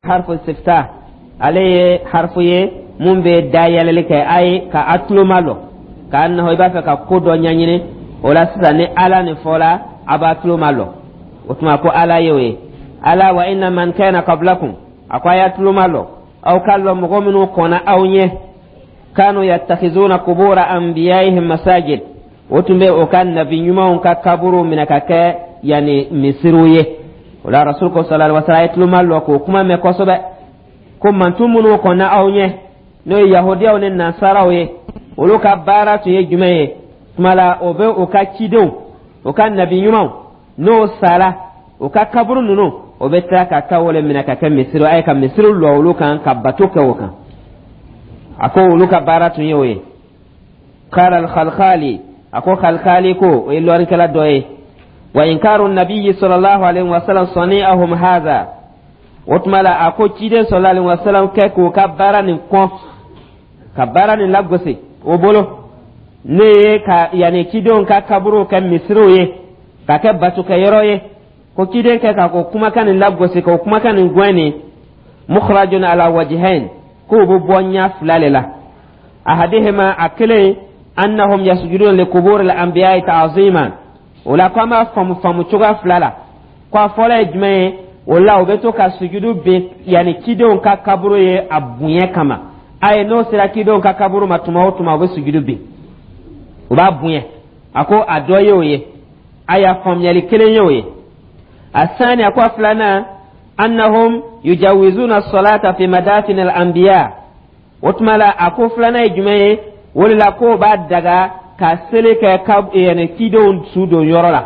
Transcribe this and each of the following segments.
Harfu istiftah, ale ye harfu ye mun bɛ dayɛlɛli kɛ, a ye ka a tulo malɔ k'a nɔhɔ i b'a fɛ ka ko dɔ ɲɛɲini. O la sisan, ni ala nin fɔla, a b'a tulo malɔ. O tuma ko ala ye o ye ala wa inna man kana qablakum. A ko a y'a tulo malɔ, aw k'a lɔn mɔgɔ minnu kɔnna aw ɲɛ, kanu yattakhizuna qubura anbiyaihim masajid, o tun bɛ o ka nabi ɲumanw ka kaburu minɛ ka kɛ yanni misiriw ye. O la Rasul ko sallallahu alaihi wasallam, a ye tulo malɔ k'o kuma mɛn kosɛbɛ, ko mantun minnu kɔnna aw ɲɛ, n'o ye Yahudiyaw ni Nasaraw ye, olu ka baara tun ye jumɛn ye? Tuma la o bɛ u ka cidenw, u ka nabi ɲumanw, n'o sara, u ka kaburu ninnu, o bɛ tila ka taa o le minɛ ka kɛ misiri, a ye ka misiri lɔ olu kan ka bato kɛ o kan. A ko olu ka baara tun ye o ye. Qala al-Khalkhali, a ko Khalkhali ko, o ye lɔnnikɛla dɔ ye, wa inkaru nabiyyi sallallahu alaihi wasallam sani'ahum hadha. O tuma la a ko ciden sallallahu alaihi wasallam kɛ k'o ka baara nin kɔn, ka baara nin lagosi o bolo, ne ye ka yanni cidenw ka kaburuw kɛ misiriw ye ka kɛ batokɛyɔrɔ ye, ko ciden kɛ ka ko kumakan nin lagosi, k'o kumakan nin gɛn nin, mukhrajun ala wajhain, k'o bɛ bɔ ɲɛ fila le la. Ahadihima, a kelen, annahum yasjuduna li qubur al anbiya'i ta'ziman. O la ko an b'a faamu faamu cogoya fila la. Ko a fɔlɔ ye jumɛn ye? O la u bɛ to ka sujudu bin yanni cidenw ka kaburu ye a bonya kama. A ye n'o sera cidenw ka kaburu ma tuma o tuma, u bɛ sujudu bin, u b'a bonya. A ko a dɔ ye o ye. A y'a faamuyali kelen ye o ye. A sani, a ko a filanan, annahum yujawizuna salata fi madafin al anbiya. O tuma la a ko filanan ye jumɛn ye? O de la k'o b'a daga ka seli kɛ ka yanni cidenw su don yɔrɔ la,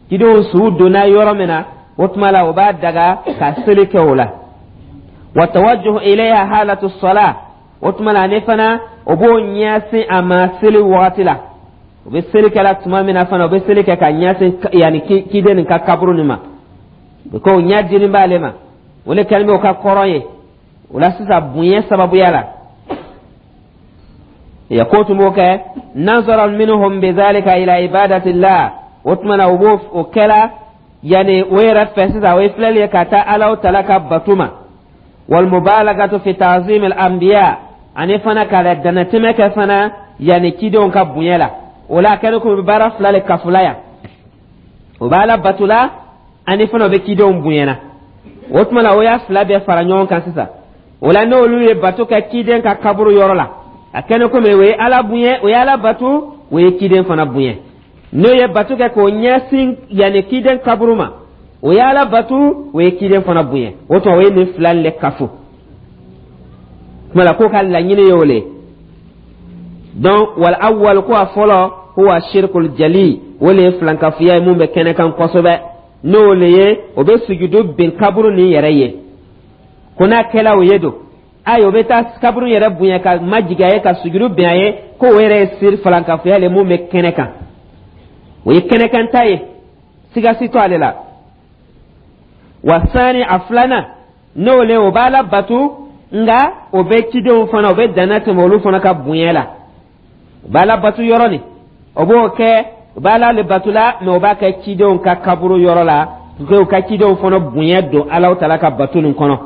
cidenw su donna yɔrɔ min na. O tuma la o b'a daga ka seli kɛ o la. Wa tawajjuh ilayha halatu salah. O tuma la ani fana o b'o ɲɛsin a ma seli wagati la. O bɛ seli kɛla tuma min na fana, o bɛ seli kɛ ka ɲɛsin yanni ciden nin ka kaburu nin ma, ko ɲɛ dini b'ale ma. O de kɛlen bɛ o ka kɔrɔ ye. O la sisan, bonya sababuya la ya ko tun b'o kɛ, nazaran minhum bidhalika ila ibadatillah. O tuma na o b'o o kɛla yanni o yɛrɛ fɛ sisan, o ye filɛli ye ka taa Alahu Taala ka bato ma. Wal mubalagatu fi ta'zim al anbiya, ani fana ka danatɛmɛ kɛ fana yanni cidenw ka bonya la. O la a kɛlen ko bɛ baara fila le kafula yan: o b'a la bato la, ani fana o bɛ cidenw bonyana. O tuma la o y'a fila bɛɛ fara ɲɔgɔn kan sisan. O la n'olu ye bato kɛ ciden ka kaburu yɔrɔ la, a kɛlen komi o ye Ala bonya, o ye Ala bato, o ye ciden fana bonya. N'o ye bato kɛ k'o ɲɛsin yanni ciden kaburu ma, o ye Ala bato, o ye ciden fana bonya. O tuma o ye nin fila le kafo. Tuma la k'o ka laɲini ye o le. Donc wal awwal, ko a fɔlɔ, huwa shirkul jali, o le ye filankafoya ye mun bɛ kɛnɛ kan kosɛbɛ, n'o le ye o bɛ sujudu bin kaburu nin yɛrɛ ye. Ko n'a kɛla o ye don, ayi, o bɛ taa kaburu yɛrɛ bonya ka majigin a ye ka sujudu bin a ye, ko o yɛrɛ ye siri filankafoya le mun bɛ kɛnɛ kan. O ye kɛnɛkan ta ye, siga si to ale la. Wa sani, a filanan, n'o le o b'a la bato, nka o bɛ cidenw fana, o bɛ danna tɛmɛ olu fana ka bonya la. O b'a la bato yɔrɔ nin, o b'o kɛ, o b'a la le bato la, mɛ o b'a kɛ cidenw ka kaburu yɔrɔ la, k'o ka cidenw fana bonya don Alahu Taala ka bato nin kɔnɔ.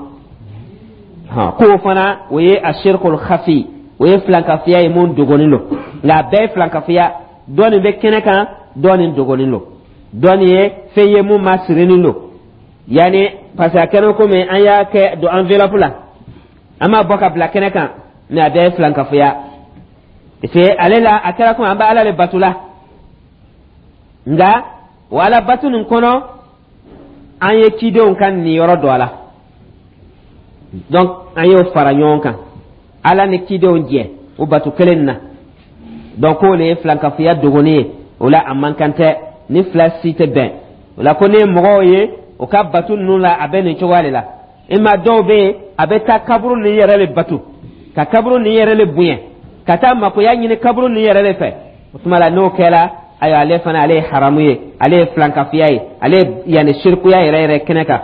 K'o fana o ye a shirkul khafi, o ye filankafiya ye mun dogonin don. Nka a bɛɛ ye filankafiya, dɔ nin bɛ kɛnɛ kan, dɔ nin dogonin don, dɔ nin ye fɛn ye mun ma sirinin don, yanni parce que a kɛra komi an y'a kɛ don enveloppe la, an b'a bɔ ka bila kɛnɛ kan, mɛ a bɛɛ ye filankafoya, parce que ale la a kɛra komi an bɛ Ala le bato la, nka o Ala bato nin kɔnɔ, an ye cidenw ka niyɔrɔ don a la. Donc an y'o fara ɲɔgɔn kan, Ala ni cidenw jɛ o bato kelen na. Donc k'o le ye filankafoya dogoni ye. O la a man kan tɛ ni fila si tɛ bɛn. O la ko ne ye mɔgɔw ye o ka bato ninnu la, a bɛ nin cogoya de la. I ma dɔw bɛ yen, a bɛ taa kaburu nin yɛrɛ le bato, ka kaburu nin yɛrɛ le bonya, ka taa makoya ɲini kaburu nin yɛrɛ le fɛ. O tuma la n'o kɛra, ayiwa, ale fana ale ye haramu ye, ale ye filankafiya ye, ale ye yanni sirikuya yɛrɛ yɛrɛ kɛnɛ kan.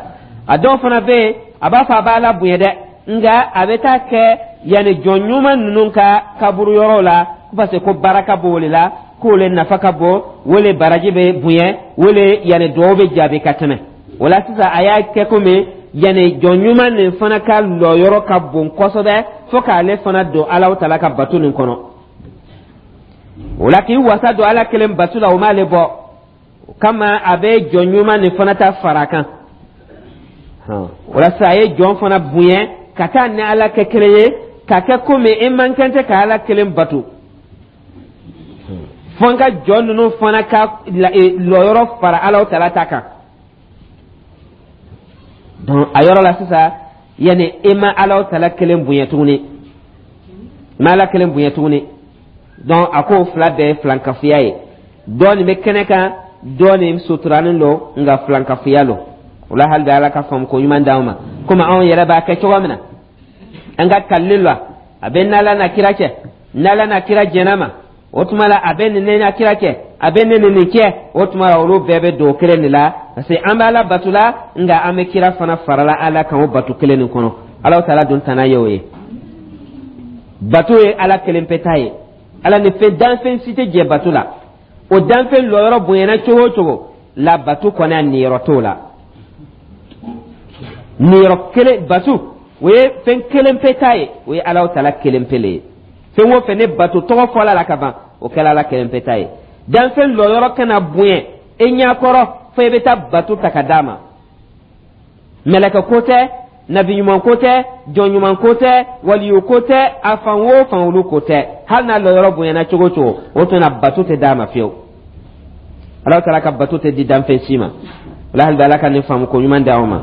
A dɔw fana bɛ yen, a b'a fɔ a b'a la bonya dɛ, nka a bɛ taa kɛ yanni jɔn ɲuman ninnu ka kaburu yɔrɔw la, ko parce que ko baraka b'o de la, k'o le nafa ka bon, o le baraji bɛ bonya, o le yanni duwawu bɛ jaabi ka tɛmɛ. O la sisan a y'a kɛ komi Yanni jɔn ɲuman nin fana ka lɔyɔrɔ ka bon kosɛbɛ fo k'ale fana don Alahu Taala ka bato nin kɔnɔ. O la, k'i wasa don Ala kelen bato la, o m'ale bɔ. O kama, a bɛ jɔn ɲuman nin fana ta fara kan. O la sisan, a ye jɔn fana bonya ka taa ni Ala kɛ kelen ye, ka kɛ komi i man kan tɛ ka Ala kelen bato, fo n ka jɔn ninnu fana ka lɔyɔrɔ fara Alahu Taala ta kan. Donc a yɔrɔ la sisan, yanni e ma Alahu Taala kelen bonya tuguni, i ma Ala kelen bonya tuguni. Donc a k'o fila bɛɛ ye filankafoya ye. Dɔ nin bɛ kɛnɛ kan, dɔ nin suturanin don, nka filankafoya don. O la, hali bi Ala ka faamu ko ɲuman d'anw ma. Komi anw yɛrɛ b'a kɛ cogo min na, an ka kalili la, a bɛ n'Ala n'a kira cɛ, n'Ala n'a kira jɛnna ma, o tuma la a bɛ nin ne n'a kira cɛ, a bɛ ne ni nin cɛ. O tuma la, olu bɛɛ bɛ don o kelen de la, parce que an bɛ Ala bato la, nka an bɛ kira fana farala Ala kan o bato kelen nin kɔnɔ. Ala Taala dun tana ye o ye. Bato ye Ala kelen pe ta ye. Ala ni fɛn danfɛn si tɛ jɛ bato la. O danfɛn lɔyɔrɔ bonyana cogo o cogo la, bato kɔni, a niyɔrɔ t'o la. Niyɔrɔ kelen, bato, o ye fɛn kelen pe ta ye, o ye Ala Taala kelen pe le ye. Fɛn o fɛn ne bato tɔgɔ fɔla la ka ban, o kɛla Ala kelen pe ta ye. Danfɛn lɔyɔrɔ kana bonya e ɲɛkɔrɔ fo i bɛ taa bato ta ka d'a ma. Mɛlɛkɛ ko tɛ, nabi ɲuman ko tɛ, jɔn ɲuman ko tɛ, waliyu ko tɛ, a fan o fan, olu ko tɛ. Hali n'a lɔyɔrɔ bonyana cogo o cogo, o tuma bato tɛ d'a ma fiyewu. Ala Taala ka bato tɛ di danfɛn si ma. Wala hali bi Ala ka nin faamu ko ɲuman di aw ma.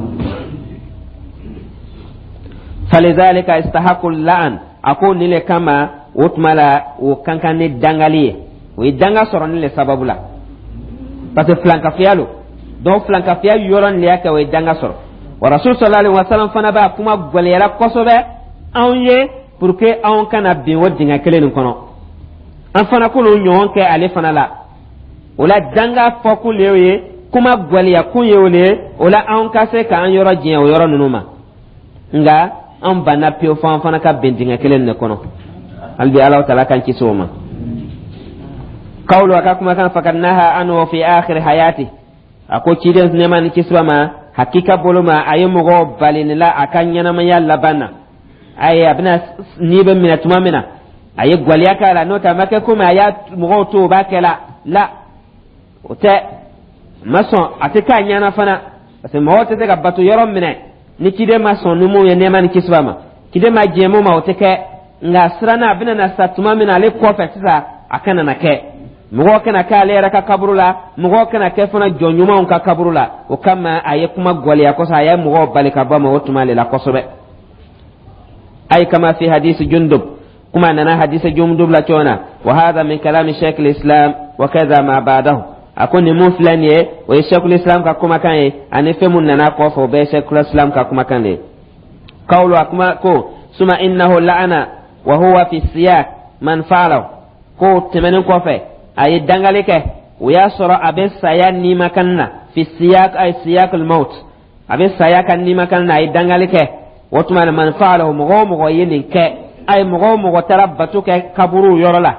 Falizalika istahaku la'an. A ko nin le kama, o tuma la, o kan kan ni dangali ye, o ye danga sɔrɔ nin le sababu la, parce que filankafoya lo. Donc filankafoya yɔrɔ nin le y'a kɛ o ye danga sɔrɔ. Wa Rasul sallallahu alaihi wasallam fana b'a kuma gwɛlɛyara kosɛbɛ anw ye pour que anw kana bin o dingɛ kelen nin kɔnɔ, an fana k'olu ɲɔgɔn kɛ ale fana la. O la, danga fɔkun le y'o ye, kuma gwɛlɛya kun ye o le ye. O la, anw ka se k'an yɔrɔ jɛn o yɔrɔ ninnu ma, nka an banna pewu fo an fana ka bin dingɛ kelen de kɔnɔ. Hali bi Ala Taala k'an kisi o ma. Kawlu, a ka kumakan, fakad naha anhu fi akhir hayati. A ko ciden, nɛɛma ni kisi b'a ma, hakika bolo ma, a ye mɔgɔw bali nin la a ka ɲɛnamaya laban na. Ayi, a bɛna n'i bɛ minɛ tuma min na, a ye gwaliya k'a la. N'o tɛ, a ma kɛ komi a y'a mɔgɔw to o b'a kɛ la la, o tɛ ma sɔn, a tɛ k'a ɲɛna fana, parce que mɔgɔw tɛ se ka bato yɔrɔ minɛ ni ciden ma sɔn ni mun ye, nɛɛma ni kisi b'a ma. Ciden ma diɲɛ mun ma, o tɛ kɛ. Nka siranna a bɛna na sa tuma min na, ale kɔfɛ sisan, a kana na kɛ, mɔgɔw kana kɛ ale yɛrɛ ka kaburu la, mɔgɔw kana kɛ fana jɔn ɲumanw ka kaburu la. O kama, a ye kuma gwɛlɛya kosɛbɛ, a ye mɔgɔw bali ka bɔ a ma o tuma de la kosɛbɛ. Ay kama fi hadisi Jundub, kuma nana hadisi Jundub la cogo na. Wa hadha min kalami Sheikh al-Islam wa kaza ma ba'dahu. A ko nin mun filɛ nin ye, o ye Sheikh al-Islam ka kumakan ye, ani fɛn mun nana kɔfɛ, o bɛɛ ye Sheikh al-Islam ka kumakan de ye. Qawlu, a kuma ko suma innahu la'ana wa huwa fi siyak man fa'ala. Ko tɛmɛnen kɔfɛ, a ye dangali kɛ, o y'a sɔrɔ a bɛ saya nimakan na. Fi siyak, ay siyak al-maut, a bɛ saya ka nimakan na, a ye dangali kɛ. O tuma na, man fa'ala, mɔgɔ o mɔgɔ ye nin kɛ, ay mɔgɔ o mɔgɔ taara bato kɛ kaburu yɔrɔ la,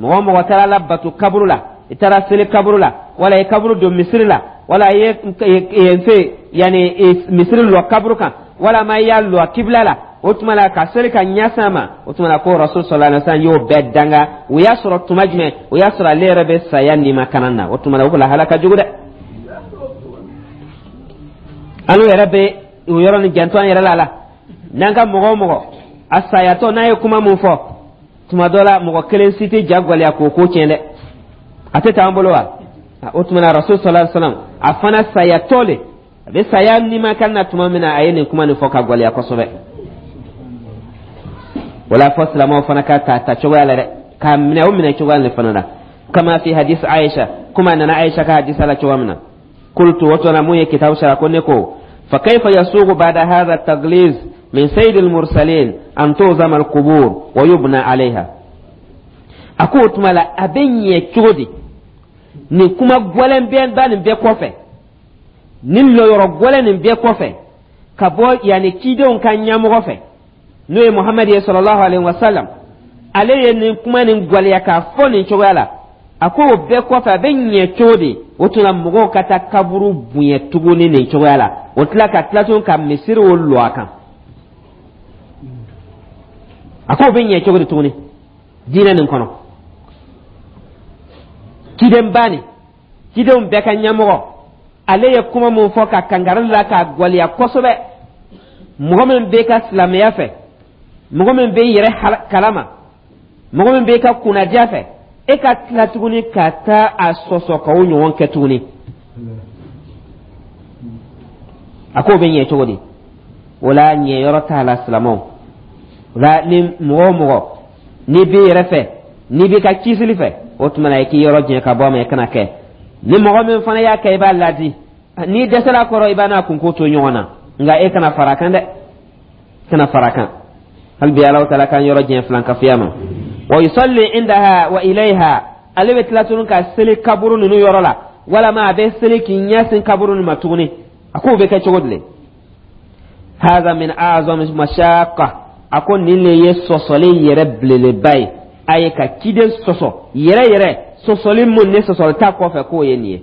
mɔgɔ o mɔgɔ taara la bato kaburu la, i taara seli kaburu la, wala i kaburu don misiri la, wala i ye yen fɛ yanni misiri lɔ kaburu kan, wala ma i y'a lɔ kibila la, o tuma la ka seli ka ɲɛsin a ma, o tuma la ko Rasul sallallahu alaihi wasallam y'o bɛɛ danga. O y'a sɔrɔ tuma jumɛn? O y'a sɔrɔ ale yɛrɛ bɛ saya nimakanan na. O tuma la, o lahala ka jugu dɛ. An yɛrɛ bɛ o yɔrɔ nin janto an yɛrɛ la la n'an ka mɔgɔ o mɔgɔ a sayatɔ n'a ye kuma mun fɔ, tuma dɔ la mɔgɔ kelen si tɛ ja gwɛlɛya k'o ko tiɲɛ dɛ. A tɛ t'an bolo wa? O tuma na, Rasul sallallahu alaihi wasallam, a fana sayatɔ le, a bɛ saya nimakan na tuma min na, a ye nin kuma nin fɔ ka gwɛlɛya kosɛbɛ. Wala fɔ silamɛw fana ka ta ta cogoya la dɛ, k'a minɛ o minɛ cogoya nin fana la. Kama fi hadis Aisha, kuma nana Aisha ka hadisa la cogoya min na. Qultu, o tuma mun ye kitabu sara ko ne ko fa kayfa yasuqu ba'da hadha at-taghliz min sayyid al-mursalin an tuzama al-qubur wa yubna alayha? A ko o tuma la, a bɛ ɲɛ cogo di, nin kuma gwɛlɛn bɛɛ ba nin bɛɛ kɔfɛ, nin lɔyɔrɔ gwɛlɛn nin bɛɛ kɔfɛ, ka bɔ yanni cidenw ka ɲɛmɔgɔ fɛ, n'o ye Muhamadu ye sallallahu alaihi wa sallam, ale ye nin kuma nin gwɛlɛya k'a fɔ nin cogoya la? A ko o bɛɛ kɔfɛ, a bɛ ɲɛ cogo di o tuma mɔgɔw ka taa kaburu bonya tuguni nin cogoya la, o tila ka tila tuguni ka misiri o lɔ a kan? A ko o bɛ ɲɛ cogo di tuguni diinɛ nin kɔnɔ? Cidenba nin, cidenw bɛɛ ka ɲɛmɔgɔ, ale ye kuma mun fɔ ka kangari la k'a gwaliya kosɛbɛ, mɔgɔ min b'e ka silamɛya fɛ, mɔgɔ min b'e yɛrɛ kalama, mɔgɔ min b'e ka kunnadiya fɛ, e ka tila tuguni ka taa a sɔsɔ ka o ɲɔgɔn kɛ tuguni, a k'o bɛ ɲɛ cogo di? O la, ɲɛyɔrɔ t'a la, silamɛw. O la, ni mɔgɔ o mɔgɔ n'i b'i yɛrɛ fɛ, n'i b'i ka kisili fɛ, o tuma na i k'i yɔrɔ janya ka bɔ a ma, i kana kɛ. Ni mɔgɔ min fana y'a kɛ, i b'a ladi. N'i dɛsɛra a kɔrɔ, i b'a n'a kunko to ɲɔgɔn na, nka e kana fara a kan dɛ, kana fara a kan. Hali bi Alahu taala k'an yɔrɔ janya filankafoya ma. Wa yusalli indaha wa ilayha, ale bɛ tila tuguni ka seli kaburu ninnu yɔrɔ la, walama a bɛ seli k'i ɲɛsin kaburu ninnu ma tuguni. A k'o bɛ kɛ cogo di le? Haza min a'zami mashaqa, a ko nin le ye sɔsɔli yɛrɛ belebeleba ye. A ye ka ciden sɔsɔ yɛrɛ yɛrɛ, sɔsɔli mun ni sɔsɔli t'a kɔfɛ, k'o ye nin ye.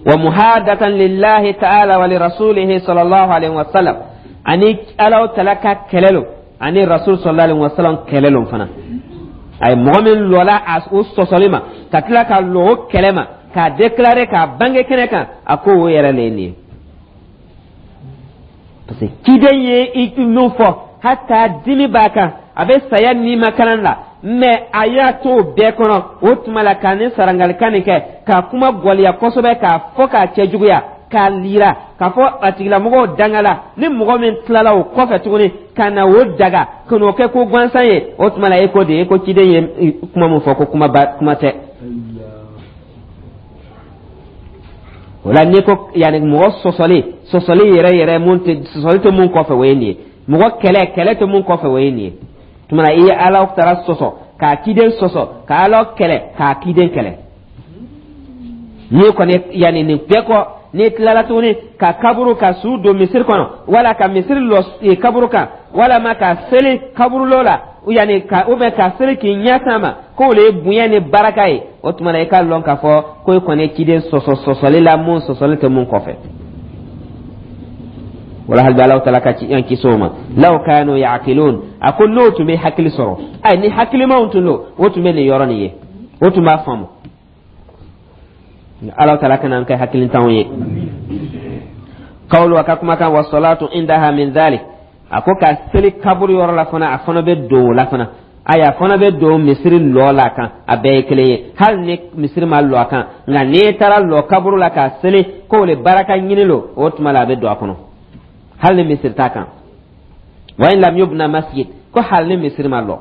Wa muhadatan lillahi ta'ala wa li rasulihi sallallahu alaihi wa sallam, ani Ala taala ka kɛlɛ lo, ani rasul sallallahu alaihi wa sallam kɛlɛ lo fana. A ye mɔgɔ min lɔla a o sɔsɔli ma, ka tila ka lɔ o kɛlɛ ma, k'a déclarer, k'a bange kɛnɛ kan, a ko o yɛrɛ le ye nin ye. Parce que ciden ye i min fɔ, hata dimi b'a kan, a bɛ saya nimakalan la, mais a y'a to o bɛɛ kɔnɔ, o tuma la k'a ni sarangalikan nin kɛ, k'a kuma gɔliya kosɛbɛ, k'a fɔ k'a cɛjuguya, k'a lira k'a fɔ a tigilamɔgɔw dangala. Ni mɔgɔ min tilala o kɔfɛ tuguni ka na o daga, ka n'o kɛ ko gansan ye, o tuma la e ko de, e ko ciden ye kuma min fɔ, ko kuma ba kuma tɛ. O la, n'i ko yanni mɔgɔ sɔsɔli, sɔsɔli yɛrɛ yɛrɛ, mun tɛ sɔsɔli tɛ mun kɔfɛ, o ye nin ye. Mɔgɔ kɛlɛ, kɛlɛ tɛ mun kɔfɛ, o ye nin ye. Tuma na i ye Ala taala sɔsɔ, k'a ciden sɔsɔ, ka Ala kɛlɛ, k'a ciden kɛlɛ. N'i kɔni yanni nin bɛɛ kɔ, n'i tilala tuguni ka kaburu ka su don misiri kɔnɔ, wala ka misiri lɔ kaburu kan, walama ka seli kaburulɔ la, yanni ka ou bien ka seli k'i ɲɛsin a ma, k'o le ye bonya ni baraka ye, o tuma na i k'a lɔn k'a fɔ ko i kɔni ye ciden sɔsɔ sɔsɔli la mun sɔsɔli tɛ mun kɔfɛ. Wala hali bi Alahu taala ka ci an kisi o ma. Law kanu yaqilun, a ko n'o tun bɛ hakili sɔrɔ, ayi, ni hakilimaw tun don, o tun bɛ nin yɔrɔ nin ye, o tun b'a faamu. Alahu taala kana an kɛ hakilintanw ye. Kawulu, a ka kumakan, wa salatu indaha min dhalik, a ko ka seli kaburu yɔrɔ la fana, a fana bɛ don o la fana. Ayi, a fana bɛ don misiri lɔ la kan, a bɛɛ ye kelen ye. Hali ni misiri ma lɔ a kan, nka n'i taara lɔ kaburu la ka seli k'o le baraka ɲini lo, o tuma la a bɛ don a kɔnɔ, hali ni misiri t'a kan. Wa in lam yubna masjid, ko hali ni misiri ma lɔ,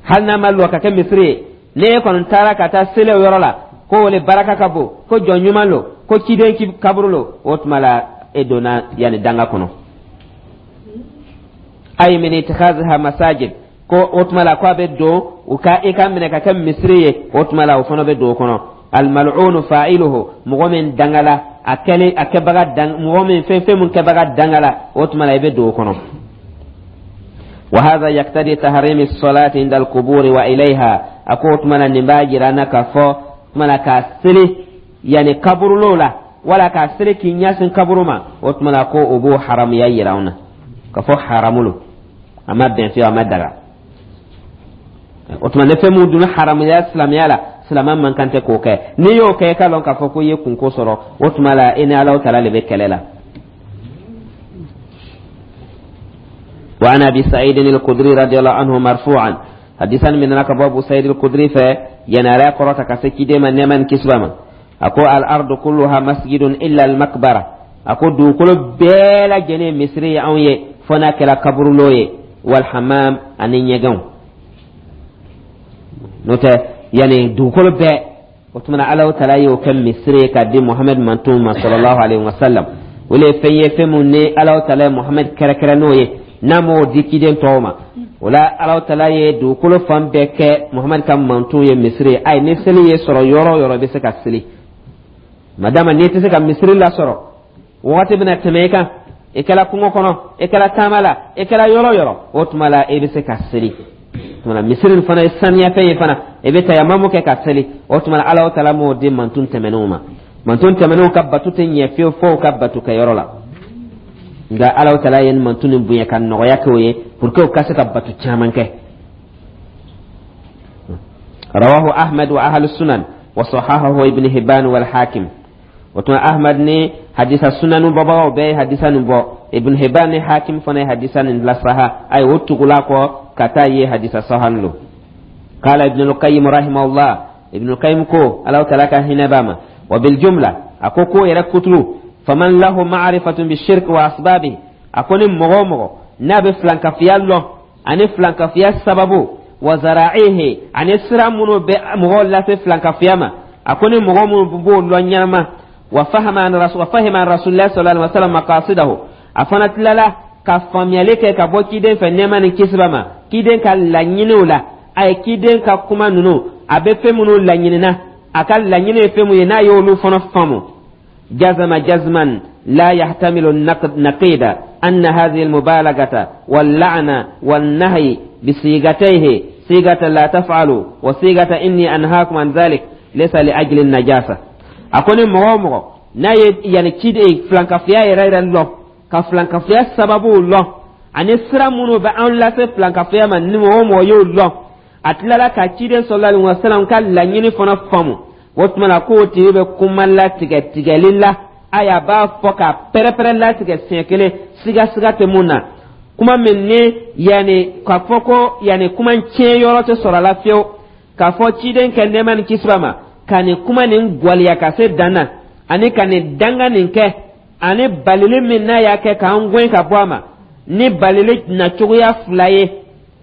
hali n'a ma lɔ ka kɛ misiri ye, n'e kɔni taara ka taa seli o yɔrɔ la ko o le baraka ka bon, ko jɔn ɲuman lo, ko ciden kaburu lo, o tuma la e donna yanni danga kɔnɔ. Ayi min ittikhaziha masajid, ko o tuma la ko a bɛ don u ka i ka minɛ ka kɛ misiri ye, o tuma la o fana bɛ don o kɔnɔ. Almal'unu fa'iluhu, mɔgɔ min dangala a kɛlen, a kɛbaga dang, mɔgɔ min fɛn fɛn mun kɛbaga dangala, o tuma la i bɛ don o kɔnɔ. Wa hadha yaktadi tahrimi salati inda alquburi wa ilayha, a ko o tuma na nin b'a jira an na k'a fɔ tuma na ka seli yanni kaburulow la, wala ka seli k'i ɲɛsin kaburu ma, o tuma na ko o b'o haramuya yira an na k'a fɔ haramu lo, a ma bɛn fiyewu, a ma daga. O tuma ni fɛn mun dun haramuya silamɛya la, silamɛ man kan tɛ k'o kɛ. N'i y'o kɛ, i k'a lɔn k'a fɔ ko i ye kunko sɔrɔ, o tuma la i ni Alahu taala de bɛ kɛlɛ la. Wa an Abi Sa'id al-Khudri radiyallahu anhu marfu'an, hadisan min nana ka bɔ Abu Sa'id al-Khudri fɛ, yanni kɔrɔta ka se ciden ma, nɛɛma ni kisi b'a ma, a ko al ardu kulluha masjidun illa al makbara, a ko dugukolo bɛɛ lajɛlen misiri ye anw ye, fo n'a kɛra kaburulo ye, wal hammam, ani ɲɛgɛnw. N'o tɛ yanni dugukolo bɛɛ, o tuma na Alahu taala y'o kɛ misiri ye k'a di Muhamɛd mantɔn ma sallallahu alaihi wa sallam. O le ye fɛn ye, fɛn mun ni Alahu taala ye Muhamɛd kɛrɛkɛrɛ n'o ye, n'a m'o di ciden tɔw ma. O la, Alahu taala ye dugukolo fan bɛɛ kɛ Muhamɛd ka mantɔn ye misiri ye. Ayi, ni seli ye sɔrɔ yɔrɔ o yɔrɔ, i bɛ se ka seli. Madama n'i tɛ se ka misiri lasɔrɔ, wagati bɛna tɛmɛ i kan, i kɛra kungo kɔnɔ, i kɛra taama la, i kɛra yɔrɔ o yɔrɔ, o tuma la i bɛ se ka seli. Tuma misiri nin fana ye saniyafɛn ye fana, i bɛ tayamamu kɛ ka seli. O tuma Ala taala m'o di mantun tɛmɛnenw ma. Mantun tɛmɛnenw ka batu tɛ ɲɛ fiyewu fo u ka batu kɛyɔrɔ la. Nka Ala taala ye mantun nin bonya ka nɔgɔya kɛ o ye pour que u ka se ka batu caman kɛ. Rawahu Ahmad wa ahlu sunan wa sahahahu Ibn Hibban wal Hakim. O tuma Ahmad ni hadisa sunanu bɔbagaw bɛɛ ye hadisa nin bɔ. Ibn Hibban ni Hakim fana ye hadisa nin lasaha. Ayi, o tugula kɔ ka taa ye hadisa sahan lo. Qala Ibn al-Qayyim rahimahullah, Ibn al-Qayyim ko, Ala taala ka hinɛ b'a ma, wa bil jumla, a ko ko yɛrɛ kuturu, faman lahu ma'rifatun bi shirk wa asbabi, a ko ni mɔgɔ o mɔgɔ n'a bɛ filankafiya lɔn ani filankafiya sababu, wa zara'ihi, ani sira minnu bɛ mɔgɔw lase filankafiya ma, a ko ni mɔgɔ minnu b'o lɔn ɲɛnama, wa fahima an rasulillah sallallahu alaihi wasallam maqasidahu, a fana tilala ka faamuyali kɛ ka bɔ ciden fɛ, nɛɛma ni kisi b'a ma, ciden ka laɲiniw la, a ye ciden ka kuma ninnu, a bɛ fɛn minnu laɲinina, a ka laɲini ye fɛn mun ye, n'a y'olu fana faamu, jazama jazman la yahtamilu naqida anna hadhihi almubalagata walla'na wannahyi bisigatayhi, sigata la taf'alu wa sigata inni anhaakum an dhalik, laysa li ajli najasa. A ko ni mɔgɔ o mɔgɔ n'a ye yanni ciden filankafiya yɛrɛ yɛrɛ lɔn, ka filankafiya sababuw lɔn, ani sira minnu bɛ an lase filankafiya ma, ni mɔgɔ o mɔgɔ y'o lɔn, a tilala ka ciden sallallahu alaihi wasallam ka laɲini fana faamu, o tuma na k'o tigi bɛ kuma latigɛ tigɛli la. Ayi, a b'a fɔ ka pɛrɛpɛrɛ latigɛ siɲɛ kelen, sigasiga tɛ mun na, kuma min ni yanni k'a fɔ ko yanni kuma tiɲɛ yɔrɔ tɛ sɔrɔ a la fiyewu, k'a fɔ ciden kɛ, nɛɛma ni kisi b'a ma, ka nin kuma nin gwaliya ka se dan na, ani ka nin danga nin kɛ, ani balili min n'a y'a kɛ k'an gɛn ka bɔ a ma, ni balili nacogoya fila ye,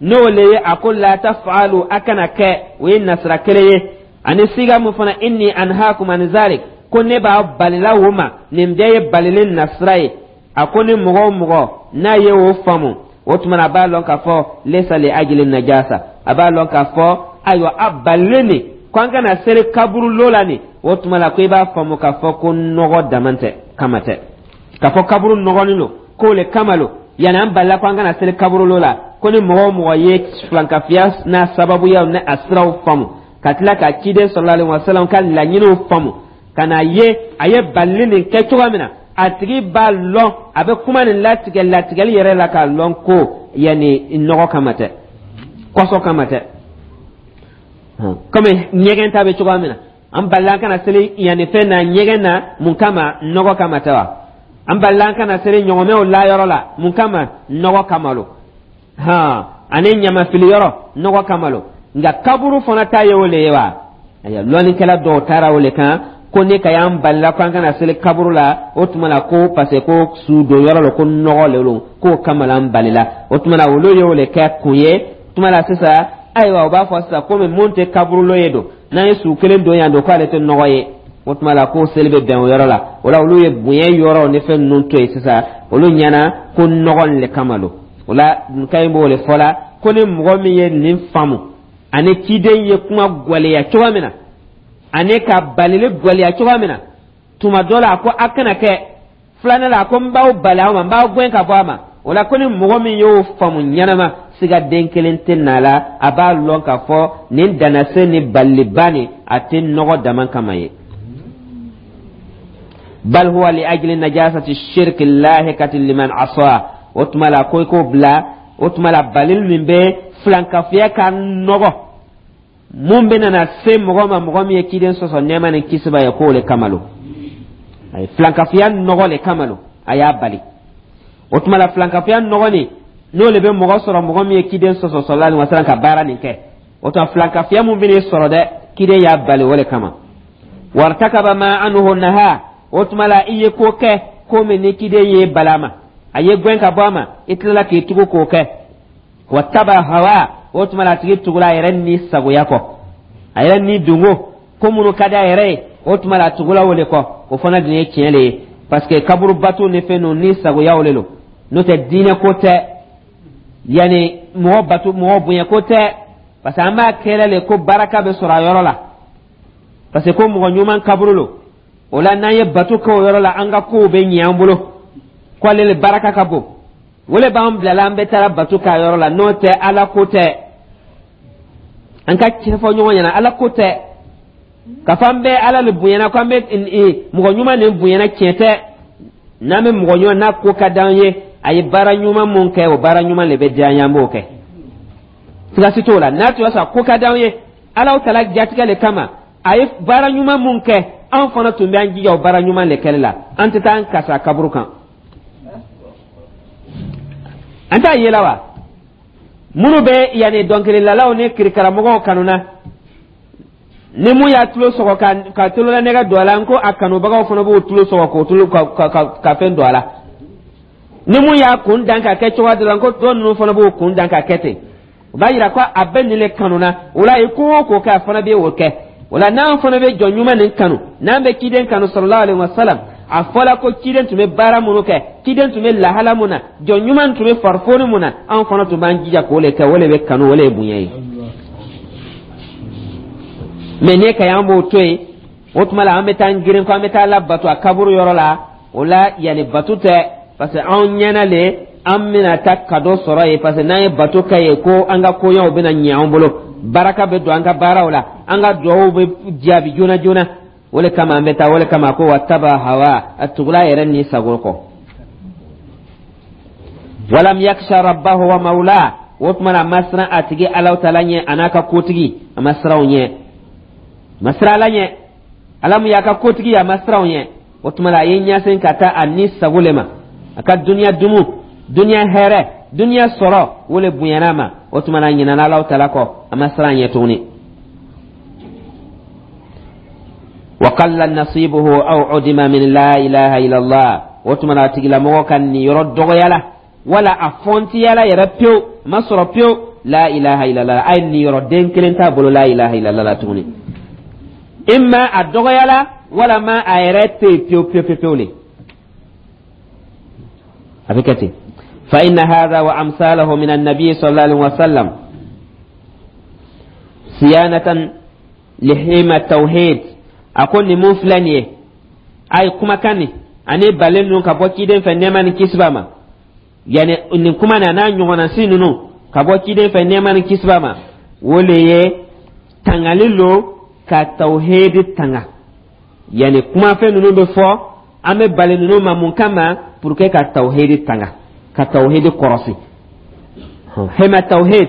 n'o le ye a ko la taf'alu, a kana kɛ, o ye nasira kelen ye, ani siga mun fana, inni anhaakum an zalik, ko ne b'a balila o ma, nin bɛɛ ye balili nasira ye. A ko ni mɔgɔ o mɔgɔ n'a ye o faamu, o tuma na a b'a lɔn k'a fɔ laysa li ajli najasa, a b'a lɔn k'a fɔ ayiwa, a balilen nin ko an kana seli kaburulo la nin, o tuma la ko i b'a faamu k'a fɔ ko nɔgɔ dama tɛ kama tɛ, k'a fɔ kaburu nɔgɔnin don k'o le kama lo yanni an balila ko an kana seli kaburulo la. Ko ni mɔgɔ o mɔgɔ ye filankafiya n'a sababuyaw ni a siraw faamu, ka tila ka ciden sallallahu alaihi wasallam ka laɲiniw faamu, ka na ye a ye balili nin kɛ cogoya min na, a tigi b'a lɔn, a bɛ kuma nin latigɛ latigɛli yɛrɛ la k'a lɔn ko yanni nɔgɔ kama tɛ, kɔsɔ kama tɛ, komi ɲɛgɛn ta bɛ cogoya min na. An balila an kana seli yanni fɛn na, ɲɛgɛn na, mun kama? Nɔgɔ kama tɛ wa? An balila an kana seli ɲɔgɔmɛw layɔrɔ la, mun kama? Nɔgɔ kama lo. Han, ani ɲamafili yɔrɔ, nɔgɔ kama lo. Nka kaburu fana ta ye o le ye wa? Ayiwa, lɔnnikɛla dɔw taara o le kan ko ne ka y'an balila ko an kana seli kaburu la, o tuma la ko parce que ko su don yɔrɔ la, ko nɔgɔ le don, k'o kama la an balila. O tuma la olu y'o le kɛ kun ye. Tuma la sisan, ayiwa, u b'a fɔ sisan komi mun tɛ kaburulo ye don, n'an ye su kelen don yan don, k'ale tɛ nɔgɔ ye, o tuma la ko seli bɛ bɛn o yɔrɔ la. O la olu ye bonya yɔrɔ ni fɛn ninnu to yen sisan, olu ɲɛna ko nɔgɔ le kama don. O la Nkayi b'o le fɔ la ko ni mɔgɔ min ye nin faamu, ani ciden ye kuma gwɛlɛya cogoya min na, ani ka balili gwɛlɛya cogoya min na, tuma dɔ la a ko a kana kɛ, filanan la a ko n b'aw bali aw ma, n b'aw gɛn ka bɔ a ma, o la ko ni mɔgɔ min y'o faamu ɲɛnama, siga den kelen tɛ na la, a b'a lɔn k'a fɔ nin danase ni baliliba nin, a tɛ nɔgɔ dama kama ye. Bal huwa li ajli najasati shirki lahikati liman asa. O tuma la ko i k'o bila, o tuma la balili min bɛ filankafiya ka nɔgɔ mun bɛ nana se mɔgɔ ma, mɔgɔ min ye ciden sɔsɔ, nɛɛma ni kisi b'a ye, k'o le kama lo. A ye filankafiya nɔgɔ le kama lo a y'a bali. O tuma la filankafiya nɔgɔ nin, n'o le bɛ mɔgɔ sɔrɔ, mɔgɔ min ye ciden sɔsɔ sallallahu alaihi wasallam ka baara nin kɛ, o tuma filankafiya mun bɛ n'i sɔrɔ dɛ, ciden y'a bali o le kama. Wartakaba ma anhu naha, o tuma la i ye ko kɛ ko min ni ciden ye bala ma, a ye gɛn ka bɔ a ma, i tilala k'i tugu k'o kɛ. Wa taba hawa, o tuma la a tigi tugula a yɛrɛ ni sagoya kɔ, a yɛrɛ ni dungo ko minnu ka di a yɛrɛ ye, o tuma la a tugula o le kɔ. O fana dun ye tiɲɛ le ye, parce que kaburu bato ni fɛn ninnu ni sagoyaw le lo, n'o tɛ diinɛ ko tɛ, yanni mɔgɔ bato, mɔgɔ bonya ko tɛ, parce que an b'a kɛlɛ le ko baraka bɛ sɔrɔ a yɔrɔ la, parce que ko mɔgɔ ɲuman kaburu lo. O la n'an ye bato kɛ o yɔrɔ la, an ka kow bɛ ɲɛ an bolo, ko ale le baraka ka bon, o le b'an bilala an bɛ taara bato k'a yɔrɔ la. N'o tɛ, Ala ko tɛ. An ka tiɲɛ fɔ ɲɔgɔn ɲɛna, Ala ko tɛ ka fɔ an bɛ Ala le bonyana, ko an bɛ mɔgɔ ɲuman nin bonyana. Tiɲɛ tɛ. N'an bɛ mɔgɔ ɲuman n'a ko ka d'an ye, a ye baara ɲuman mun kɛ, o baara ɲuman le bɛ diya an ye, an b'o kɛ, siga si t'o la. N'a tun y'a sɔrɔ a ko ka d'an ye, Ala tala jatigɛ le kama a ye baara ɲuman mun kɛ, an fana tun bɛ an jija o baara ɲuman le kɛli la. An tɛ taa an kasa kaburu kan, an t'a ye la wa. Minnu bɛ yanni dɔnkililalaw ni kirikaramɔgɔw kanuna, ni mun y'a tulo sɔgɔ ka tulolanɛgɛ don a la, n ko a kanubagaw fana b'o tulo sɔgɔ k'o tulo ka fɛn don a la. Ni mun y'a kun dan ka kɛ cogoya dɔ la, n ko dɔ ninnu fana b'o kun dan ka kɛ ten. O b'a yira ko a bɛ nin le kanu na. O la, i ko o ko kɛ, a fana bɛ o kɛ. O la, n'an fana bɛ jɔn ɲuman nin kanu, n'an bɛ ciden kanu sallallahu alaihi wa sallam, a fɔla ko ciden tun bɛ baara minnu kɛ, ciden tun bɛ lahala mun na, jɔn ɲuman tun bɛ farifoni mun na, anw fana tun b'an jija k'o le kɛ. O le bɛ kanu, o le ye bonya ye. Mɛ n'e ka y'an b'o to yen, o tuma la an bɛ taa girin ko an bɛ taa la bato a kaburu yɔrɔ la. O la, yanni bato tɛ, parce que anw ɲɛna le an bɛna taa kado sɔrɔ yen, parce que n'an ye bato kɛ yen, ko an ka koɲɛw bɛna ɲɛ an bolo, baraka bɛ don an ka baaraw la, an ka duwawu bɛ jaabi joona joona. O le kama an bɛ taa. O le kama ko wataba hawa, a tugula yɛrɛ ni sago kɔ. Walam yaksha rabbahu wa mawla, o tuma na a ma siran a tigi Alaw tala ɲɛ, a n'a ka kotigi, a ma siran o ɲɛ, a ma siran Ala ɲɛ, Ala mun y'a ka kotigi ye, a ma siran o ɲɛ. O tuma la, a ye ɲɛsin ka taa a ni sago le ma, a ka duniya dumu, duniya hɛrɛ, duniya sɔrɔ, o le bonyana a ma. O tuma na, a ɲinana Alaw tala kɔ, a ma siran ɲɛ tuguni. Wa qalla nasibuhu aw udima min la ilaha illallah, o tuma na a tigilamɔgɔ ka niyɔrɔ dɔgɔyala wala a fɔntiyala yɛrɛ pewu, a ma sɔrɔ pewu la ilaha illallah. A ye niyɔrɔ den kelen t'a bolo la ilaha illallah la tuguni. Imma a dɔgɔyala, walama a yɛrɛ tɛ yen pewu pewu pewu pewu le, a bɛ kɛ ten. Fa inna hadha wa amsalahu min annabi sallallahu alaihi wa sallam siyanatan lihima tawhid. A ko nin mun filɛ nin ye, a ye kumakan nin ani balen ninnu ka bɔ ciden fɛ, nɛɛma ni kisi b'a ma, yani nin kuma nin a n'a ɲɔgɔnna si ninnu ka bɔ ciden fɛ, nɛɛma ni kisi b'a ma, o le ye tangali lo ka tawhidi tanga. Yani kumafɛn ninnu bɛ fɔ, an bɛ bali ninnu ma mun kama? Pour que ka tawhidi tanga, ka tawhidi kɔrɔsi. Hema tawhid,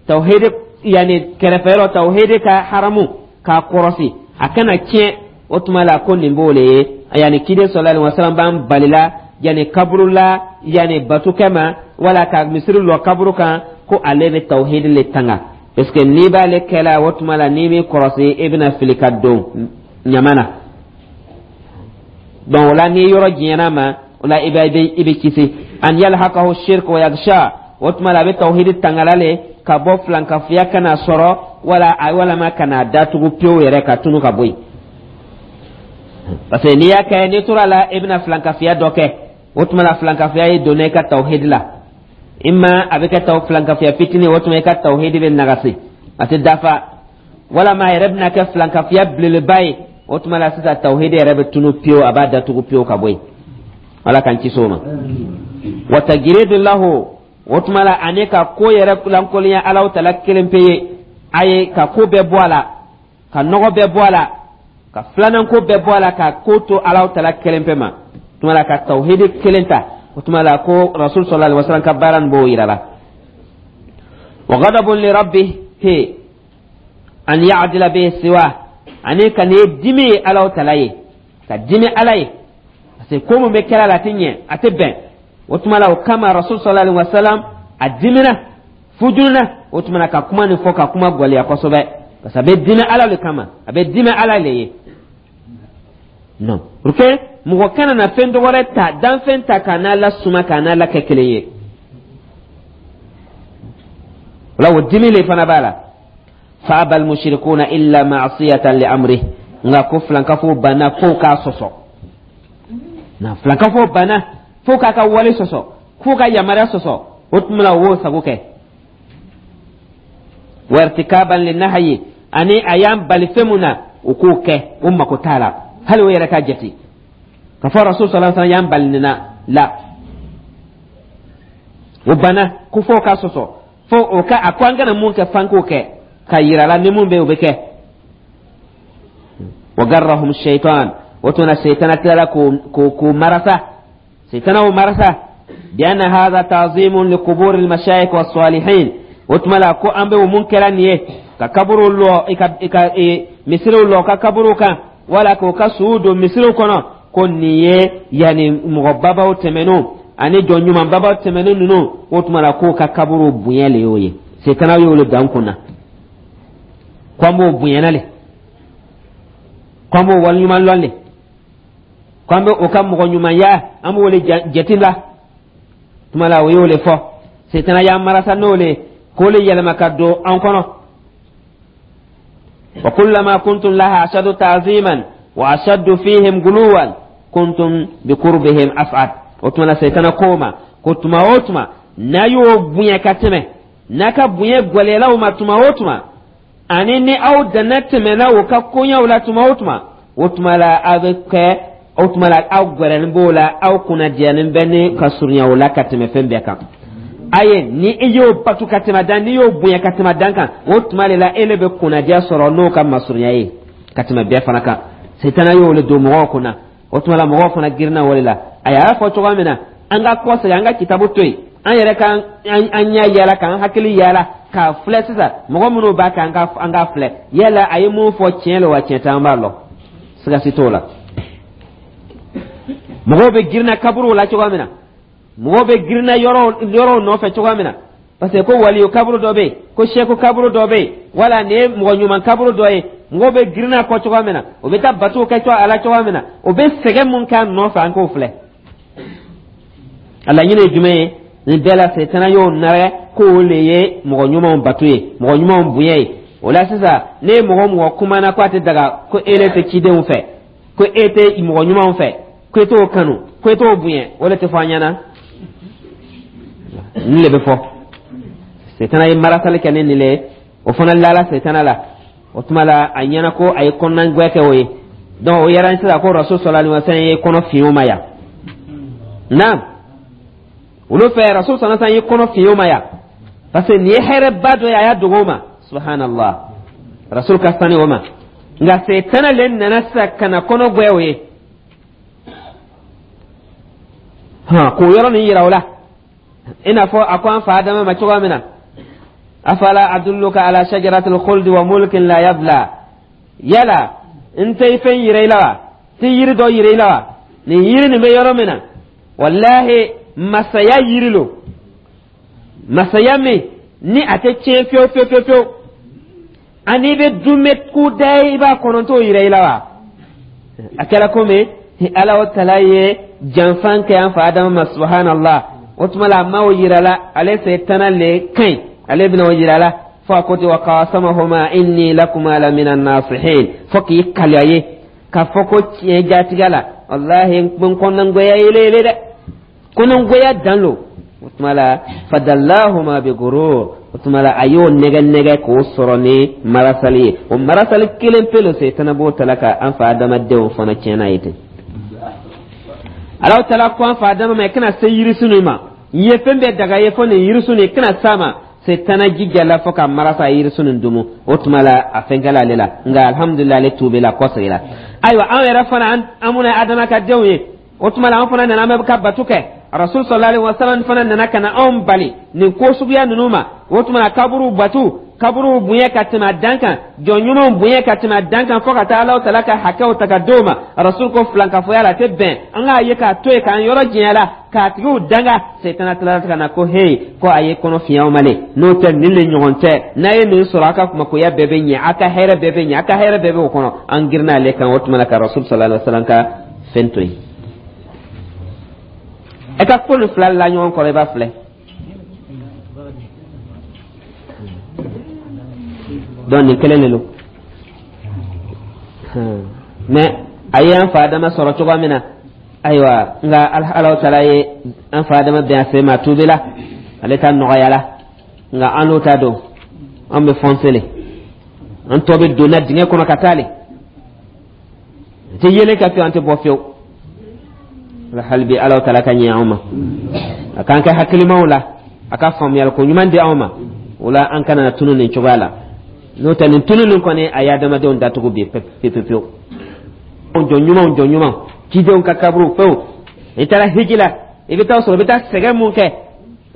tawhidi yani kɛrɛfɛyɔrɔ, tawhidi ka haramu k'a kɔrɔsi, a kana tiɲɛ. O tuma la, ko nin b'o le ye, yani ciden sallallahu alaihi wasallam b'an balila yani kaburu la, yani bato kɛ ma, wala ka misiri lɔ kaburu kan, ko ale bɛ tawhidi le tanga, parce que n'i b'ale kɛla, o tuma la n'i m'i kɔrɔsi, i bɛna fili ka don ɲama na. Donc o la, n'i yɔrɔ janyana ma, o la i bɛ kisi an yalhaqahu shirk wa yaghsha. O tuma la, a bɛ tawhidi tangala le ka bɔ filankafoya kana sɔrɔ, wala walama kana datugu pewu yɛrɛ ka tunu ka bɔ yen, parce que n'i y'a kɛ, n'i tora la, i bɛna filankafoya dɔ kɛ. O tuma la, filankafoya ye donna i ka tawhidi la, imma a bɛ kɛ taw filankafoya fitinin, o tuma i ka tawhidi bɛ nagasi, a tɛ dafa, walama a yɛrɛ bɛna kɛ filankafoya belebeleba ye. O tuma la sisan, tawhidi yɛrɛ bɛ tunu pewu, a b'a datugu pewu ka bɔ yen. Ala k'an kisi o ma. Wa tajiridu lahu, o tuma la ani ka ko yɛrɛ lankolonya Alaw tala kelen pe ye, a ye ka ko bɛɛ bɔ a la, ka nɔgɔ bɛɛ bɔ a la, ka filanan ko bɛɛ bɔ a la, ka ko to Alaw tala kelen pe ma. O tuma la, ka tawhidi kelen ta, o tuma la ko Rasul sallallahu alaihi wasallam ka baara nin b'o yira la. Wa ghadabun li rabbihi an ya'dila bihi siwa, ani ka nin ye dimi ye Alaw tala ye, ka dimi Ala ye, parce que ko mun bɛ kɛra la, a tɛ ɲɛ, a tɛ bɛn. O tuma la, o kama Rasul sallallahu alaihi wasallam a dimina fujuna, o tuma na ka kuma nin fɔ, ka kuma gwɛlɛya kosɛbɛ, parce que a bɛ dimi Ala le kama, a bɛ dimi Ala le ye. Non, pour que mɔgɔ kana na fɛn dɔ wɛrɛ ta, danfɛn ta k'a n'a la suma, k'a n'a la kɛ kelen ye. O la, o dimi le fana b'a la. Fa abal mushrikuna illa ma'siyatan li amri, nka ko filankafo banna fo k'a sɔsɔ na, filankafo banna fo k'a ka wale sɔsɔ, fo ka yamaruya sɔsɔ. O tuma la, o b'o sago kɛ. Wartikaban li nahyi, ani a y'an bali fɛn mun na, o k'o kɛ, o mako t'a la, hali o yɛrɛ ka jate ka fɔ Rasul sallallahu alaihi wasallam y'an bali nin na la. O banna ko fo ka sɔsɔ, fo o ka a ko an kana mun kɛ, f'an k'o kɛ. Ka yira la ni mun bɛ yen, o bɛ kɛ. Wa garrahum shaitan, o tuma na Seitana tilala k'o marasa, Seitana o marasa bi anna hadha ta'zimun li qubur al mashayikh was salihin. O tuma la ko an bɛ o mun kɛra nin ye, ka kaburu lɔ, i ka misiriw lɔ ka kaburu kan, wala k'o ka suw don misiriw kɔnɔ, ko nin ye yanni mɔgɔ babaw tɛmɛnenw ani jɔn ɲuman babaw tɛmɛnen ninnu, o tuma la k'o ka kaburu bonya le y'o ye. Setana y'o le dan kunna ko an b'o bonyana le, ko an b'o waleɲuman lɔn le, ko an bɛ o ka mɔgɔ ɲumanya, an b'o le jate la. Tuma la o y'o le fɔ. Setana y'an marasa n'o le k'o le yɛlɛma ka don an kɔnɔ. Wa kullama kuntum laha ashaddu ta'ziman wa ashaddu fihim guluwan kuntum bi qurbihim as'ad. O tuma la Setana k'o ma ko tuma o tuma n'a y'o bonya ka tɛmɛ, n'a ka bonya gwɛlɛyala o ma tuma o tuma, ani ni aw danna tɛmɛna o ka koɲɛw la tuma o tuma, o tuma la aw bɛ kɛ, o tuma la aw gwɛrɛnin b'o la, aw kunnadiyalen bɛ ni ka surunya o la ka tɛmɛ fɛn bɛɛ kan. Aye, ni i y'o batu ka tɛmɛ dan, n'i y'o bonya ka tɛmɛ dan kan, o tuma de la e le bɛ kunnadiya sɔrɔ n'o ka masurunya ye ka tɛmɛ bɛɛ fana kan. Setana y'o le don mɔgɔw kunna. O tuma la mɔgɔw fana girinna o de la. A y'a fɔ cogoya min na, an ka kɔsegin, an ka kitabu to yen, an yɛrɛ ka an ɲɛ yala, k'an hakili yala k'a filɛ sisan. Mɔgɔ minnu b'a kan, an ka filɛ yala a ye mun fɔ, tiɲɛ lo wa tiɲɛ tɛ, an b'a lɔn, siga si t'o la. Mɔgɔw bɛ girinna kaburuw la cogoya min na, mɔgɔw bɛ girinna yɔrɔw nɔfɛ cogoya min na, parce que ko waliyu kaburu dɔ bɛ yen, ko seku kaburu dɔ bɛ yen, wala nin ye mɔgɔ ɲuman kaburu dɔ ye, mɔgɔw bɛ girinna kɔ cogoya min na, o bɛ taa batow kɛ a la cogoya min na, o bɛ sɛgɛn mun k'a nɔfɛ, an k'o filɛ. A laɲini ye jumɛn ye nin bɛɛ la? Setana y'o nɛrɛ k'o le ye mɔgɔ ɲumanw bato ye, mɔgɔ ɲumanw bonya ye. O la sisan, ne ye mɔgɔ mɔgɔ kumana ko a tɛ daga, ko e le tɛ cidenw fɛ, ko e tɛ mɔgɔ ɲumanw fɛ, ko e t'o kanu, ko e t'o bonya, o de tɛ fɔ an ɲɛna. Nin le bɛ fɔ. Setana ye marasali kɛ ni nin le ye, o fana lala Setana la. O tuma la a ɲɛna ko a ye kɔnɔnagwɛ kɛ o ye. Donc o yɛrɛ sisan ko Rasul sallallahu alaihi wasallam ye kɔnɔ fiɲɛ o ma yan. Naam, olu fɛ Rasul sallallahu alaihi wasallam ye kɔnɔ fiɲɛ o ma yan, parce que nin ye hɛrɛba dɔ ye a y'a dogo o ma. Subhanallah, Rasul ka sani o ma, nka Setana le nana sisan ka na kɔnɔ gwɛ o ye, hɔn, k'o yɔrɔ nin yira o la, i n'a fɔ a ko an fa Adama ma cogoya min na: afala adulluka ala shajaratil khuldi wa mulkin la yabla. Yala n tɛ fɛn yira i la wa? Tɛ yiri dɔ yira i la wa? Nin yiri nin bɛ yɔrɔ min na, walahi masaya yiri lo, masaya min ni a tɛ tiɲɛ fiyewu fiyewu fiyewu fiyewu, ani i bɛ dunbɛ kudayi i b'a kɔnɔ, t'o yira i la wa? A kɛra komi Ala o tala ye janfan kɛ an fa Adama ma. Subhanallah, o tuma la a ma o yira la, ale Setana le ka ɲi, ale bɛna o yira la fo a ko ten: wa qasamahuma inni lakuma la mina nasihin. Fo k'i kali a ye k'a fɔ ko tiɲɛ jatigɛ la, walahi n bɛ n kɔnɔngoya yele yele dɛ, kɔnɔngoya dan lo. O tuma la fadallahuma bi gurur, o tuma la a y'o nɛgɛ nɛgɛ k'o sɔrɔ ni marasali ye. O marasali kelen pe lo, Setana b'o tala ka an fa adamadenw fana tiɲɛna ye ten. Alahu Taala ko an fa Adama ma: i kana se yirisun nin ma, n ye fɛn bɛɛ daga ye fo nin yirisun nin, i kana s'a ma. Setana jijala fo ka marasa yirisun nin dumu. O tuma la a fɛn kɛla ale la, nka alhamdulilayi, ale tuubila, kɔsegira. Ayiwa, anw yɛrɛ fana, an minnu ye Adama ka denw ye, o tuma la an fana nana, an bɛ ka bato kɛ. Rasul sallallahu alaihi wasallam fana nana ka na anw bali nin ko suguya ninnu ma. O tuma la kaburu batu, kaburu bonya ka tɛmɛ a dan kan, jɔn ɲumanw bonya ka tɛmɛ a dan kan, fo ka taa Alahu Taala ka hakɛw ta ka d'o ma, Rasul ko filankafoya la, a tɛ bɛn, an k'a ye k'a to yen, k'an yɔrɔ janya la, k'a tigiw danga. Setana tilala ka na ko hey, ko a ye kɔnɔ fiɲɛ aw ma le, n'o tɛ nin le ɲɔgɔn tɛ. N'a ye nin sɔrɔ, a ka makoya bɛɛ bɛ ɲɛ, a ka hɛrɛ bɛɛ bɛ ɲɛ, a ka hɛrɛ bɛɛ bɛ o kɔnɔ. An girinna ale kan. O tuma la ka Rasul sallallahu alaihi wasallam ka fɛn to yen. E ka ko nin fila la ɲɔgɔn kɔrɔ, i b'a filɛ. Donc nin kelen de don, mais a ye an fa Adama sɔrɔ cogoya min na, ayiwa, nka Alahu Taala ye an fa Adama bɛn a sen ma, a tuubila, ale ta nɔgɔyala. Nka an n'o ta don, an bɛ fɔnse le, an tɔ bɛ donna dingɛ kɔnɔ ka taa le, an tɛ yelen ka fiyewu, an tɛ bɔ fiyewu. Hali bi Alahu Taala ka ɲɛ anw ma, a k'an kɛ hakilimaw la, a ka faamuyali ko ɲuman di anw ma. O la an kana na tunu nin cogoya la. N'o tɛ, nin tunu nin kɔni, a ye adamadenw datugu bi pewu pewu pewu. Jɔn ɲumanw, jɔn ɲumanw, cidenw ka kaburu fɛnw, i taara hiji la, i bɛ taa sɔrɔ i bɛ taa sɛgɛn mun kɛ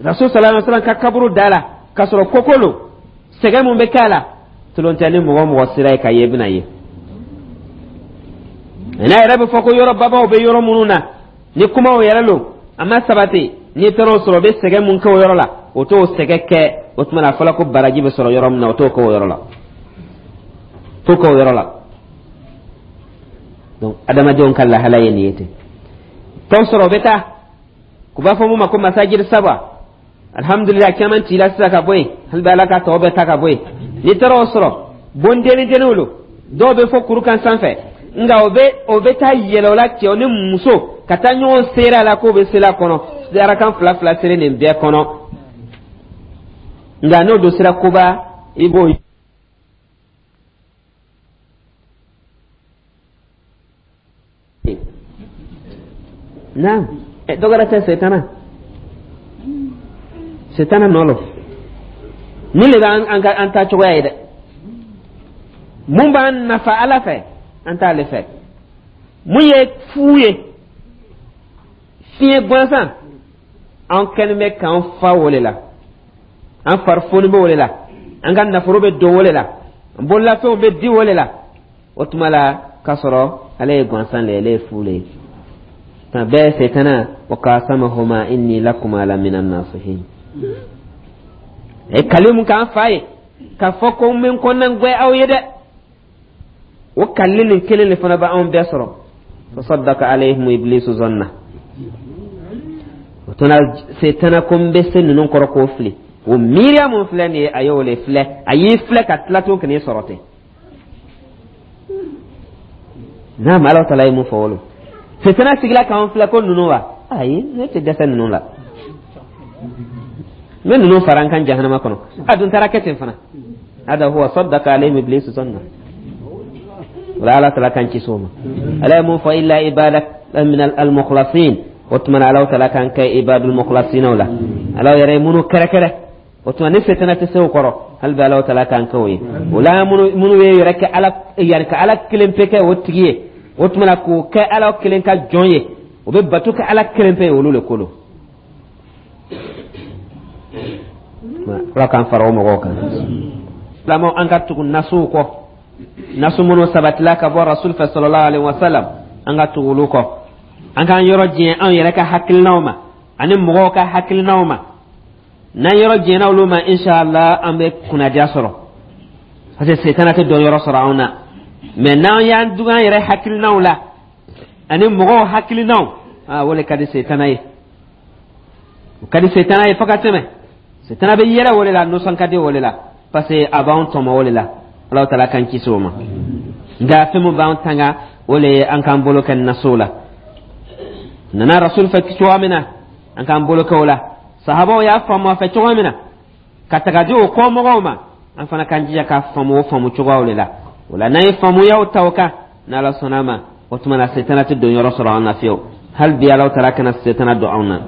Rasul sallallahu alaihi wasallam ka kaburu da la, k'a sɔrɔ koko lo, sɛgɛn mun bɛ k'a la, tulon tɛ. Ni mɔgɔ o mɔgɔ sera yen ka ye, i bɛna ye. N'a yɛrɛ bɛ fɔ ko yɔrɔ babaw bɛ yɔrɔ minnu na, ni kumaw yɛrɛ lo, a ma sabati. N'i taara o sɔrɔ, o bɛ sɛgɛn mun kɛ o yɔrɔ la, o t'o sɛgɛn kɛ. O tuma na, a fɔra ko baraji bɛ sɔrɔ yɔrɔ min na, o t'o kɛ o yɔrɔ la, t'o kɛ o yɔrɔ la. Donc adamadenw ka lahala ye nin ye ten. Tɔn sɔrɔ, o bɛ taa k'u b'a fɔ mun ma ko masajiri saba. Alhamdulilah, caman cila sisan ka bɔ yen, hali bi Ala ka tɔw bɛɛ ta ka bɔ yen. N'i taara o sɔrɔ, bondenni denniw lo, dɔw bɛ fɔ kuru kan sanfɛ, nka o bɛ taa yɛlɛ o la, cɛw ni muso ka taa ɲɔgɔn seri a la, k'o bɛ seli a kɔnɔ, arakan fila fila seli nin bɛɛ kɔnɔ. Nka n'o don sera koba, i b'o naam. Dɔ wɛrɛ tɛ, setana, setana nɔ lo. Nin le b'an an ka an ta cogoya ye dɛ. Mun b'an nafa Ala fɛ, an t'ale fɛ. Mun ye fu ye, fiɲɛ gansan, an kɛlen bɛ k'an fa o le la, an farifoni bɛ o le la, an ka nafolo bɛ don o le la, an bololafɛnw bɛ di o le la. O tuma la, k'a sɔrɔ ale ye gansan le ye, ale ye fu le ye. Nka bɛɛ setana wa qasamahuma inni lakuma la mina nasihin. E kali mun k'an fa ye k'a fɔ ko n bɛ n kɔnɔna gwɛ aw ye dɛ, o kali nin kelen de fana bɛ anw bɛɛ sɔrɔ. Fasaddaka alayhim iblisu zanna. O tuma setana ko n bɛ se ninnu kɔrɔ k'o fili. O miiriya mun filɛ nin ye, a y'o le filɛ, a y'i filɛ ka tila tun ka n'i sɔrɔ ten. Naam, Ala taala ye mun fɔ wolo, setana sigila k'an filɛ ko ninnu wa, ayi, ne tɛ dɛsɛ ninnu la, n bɛ ninnu fara n kan jahanama kɔnɔ. A dun taara kɛ ten fana. Hada huwa saddaka alayhim iblisu zanna. Wala Ala taala k'an kisi o ma. Ala ye mun fɔ? Illa ibadak min al mukhlasin. O tuma na, Ala taala k'an kɛ ibadul mukhlasin la, Ala yɛrɛ ye minnu kɛrɛkɛrɛ. O tuma ni setana tɛ se o kɔrɔ, hali bi Ala taala k'an kɛ o ye. O la, minnu ye yɛrɛ kɛ Ala yɛrɛ ka Ala kelen pe kɛ o tigi ye, o tuma na k'o kɛ Ala kelen ka jɔn ye, o bɛ bato kɛ Ala kelen pe ye, olu le ko don. Ala k'an fara o mɔgɔw kan. Silamɛw, an ka tugu nasuw kɔ, nasu minnu sabatila ka bɔ Rasul fɛ sallallahu alaihi wasallam, an ka tugu olu kɔ. An k'an yɔrɔ janya anw yɛrɛ ka hakilinaw ma ani mɔgɔw ka hakilinaw ma. N'an yɔrɔ janyana olu ma, inshallah an bɛ kunnadiya sɔrɔ, parce que setana tɛ dɔn yɔrɔ sɔrɔ anw na. Mais n'an y'an dugu an yɛrɛ hakilinaw la ani mɔgɔw hakilinaw, aa, o de ka di setana ye, o ka di setana ye fo ka tɛmɛ. Setana bɛ yɛlɛ o de la, nisɔn ka di o de la, parce que a b'anw tɔmɔ o de la. Ala taala k'an kisi o ma. Nka fɛn min b'an tanga, o le ye an k'an bolo kɛ nasow la. Nana Rasul fɛ cogoya min na, an k'an bolo kɛ o la. Sahabaw y'a faamu a fɛ cogoya min na ka taga di o kɔmɔgɔw ma, an fana k'an jija k'a faamu o faamu cogoyaw de la. O la, n'an ye faamuyaw ta o kan, n'Ala sɔnna a ma, o tuma na setana tɛ don yɔrɔ sɔrɔ an na fiyewu. Hali bi Ala taala kana setana don anw na.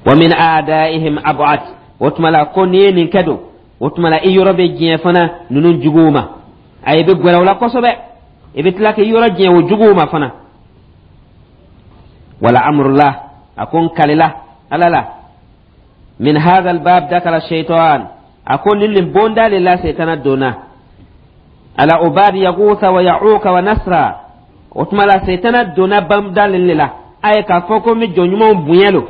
Wa min a'daihim ab'ad. O tuma la, ko n'i ye nin kɛ don, o tuma la i yɔrɔ bɛ diɲɛ fana ninnu juguw ma. A i bɛ gwɛrɛ o la kosɛbɛ, i bɛ tila k'i yɔrɔ diɲɛ o juguw ma fana. Wala amrullah, a ko n kalila Ala la, min hadha albab dakala shaitan. A ko nin bonda le la setana donna ala ubadi yagusa wa ya'uka wa nasra. O tuma la, setana donna bonda nin le la. A ye k'a fɔ ko n bɛ jɔn ɲumanw bonya lo,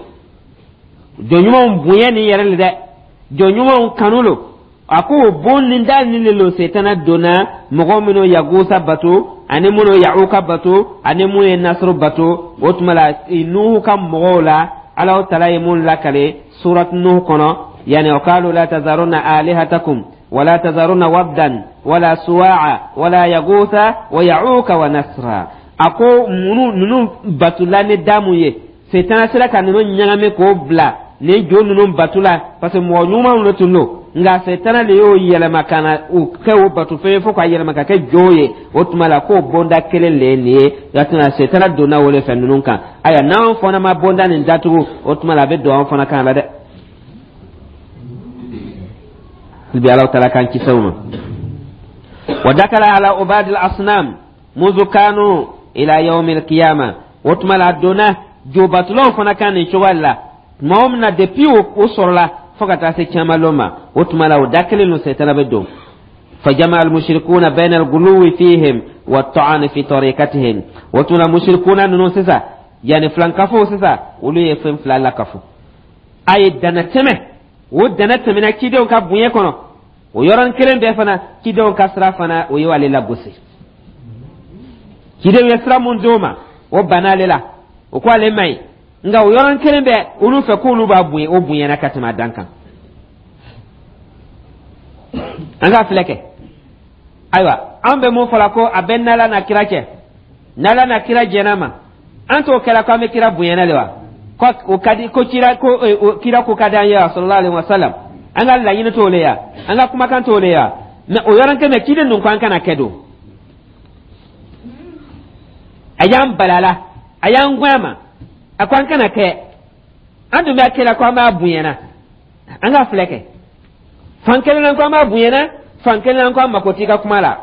jɔn ɲumanw bonya nin yɛrɛ le dɛ, jɔn ɲumanw kanu lo. A ko o bon nin da nin le lo setana donna mɔgɔ minnu Yagusa bato ani minnu Ya'uka bato ani minnu ye Nasuru bato. O tuma la, Nuhu ka mɔgɔw la, Ala taala ye mun lakale surat Nuhu kɔnɔ? Yani wa qalu la tazarunna alihatakum wala tazarunna waddan wala suwa'a wala yagusa wa ya'uka wa nasra. A ko minnu ninnu batula ni damu ye, setana sera ka ninnu ɲagami k'o bila nin jo ninnu batu la, parce que mɔgɔ ɲumanw de tun don, nka setana de y'o yɛlɛma ka na u kɛ o batufɛn ye fo k'a yɛlɛma ka kɛ jo ye. O tuma la, k'o bonda kelen le ye nin ye. Yatuna setana donna o de fɛ ninnu kan. Ayiwa, n'anw fana ma bonda nin datugu, o tuma la a bɛ don anw fana kan la dɛ. Bi Ala taala k'an kisi o ma. Wa dakala ala ubadil asnam muzu kanu ila yawmil qiyama. O tuma la, a donna jobatulaw fana kan nin cogoya la tuma o min na, depuis o sɔrɔla fo ka taa se caman ma, o tuma la o da kelen don, sɛtana bɛ don. فجمع المشركون بين الغلو فيهم والطعن في طريقتهم. وتنا مشركون نونو سيسا، يعني فلان كفو سيسا olu ye fɛn fila la kafo a ye dana tɛmɛ, o dana tɛmɛna cidenw ka bonya kɔnɔ. O yɔrɔnin kelen bɛɛ fana, cidenw ka sira fana, o ye ale lagosi. Cidenw ye sira mun d'o ma, o banna ale la, o ko ale man ɲi. Nka o yɔrɔnin kelen bɛɛ, olu fɛ k'olu b'a bonya, o bonyana ka tɛmɛ a dan kan. An ka filɛ kɛ. Ayiwa, an bɛ mun fɔla ko a bɛ n'Ala na kira cɛ, n'Ala na kira jɛn'a ma, an t'o kɛla ko an bɛ kira bonyana de wa? Ko o ka di ko kira ko kira ko ka di an ye wa, sallallahu alaihi wa sallam. An ka laɲini t'o le ya, an ka kumakan t'o le ya. Mɛ o yɔrɔnin kelen, ciden ninnu ko an kana kɛ don, a y'an balala, a y'an gɔn a ma, a ko an kana kɛ. An dun b'a kɛla ko an b'a bonyana. An ka filɛ kɛ, fan kelen na ko an b'a bonyana, fan kelen na ko an mako t'i ka kuma la.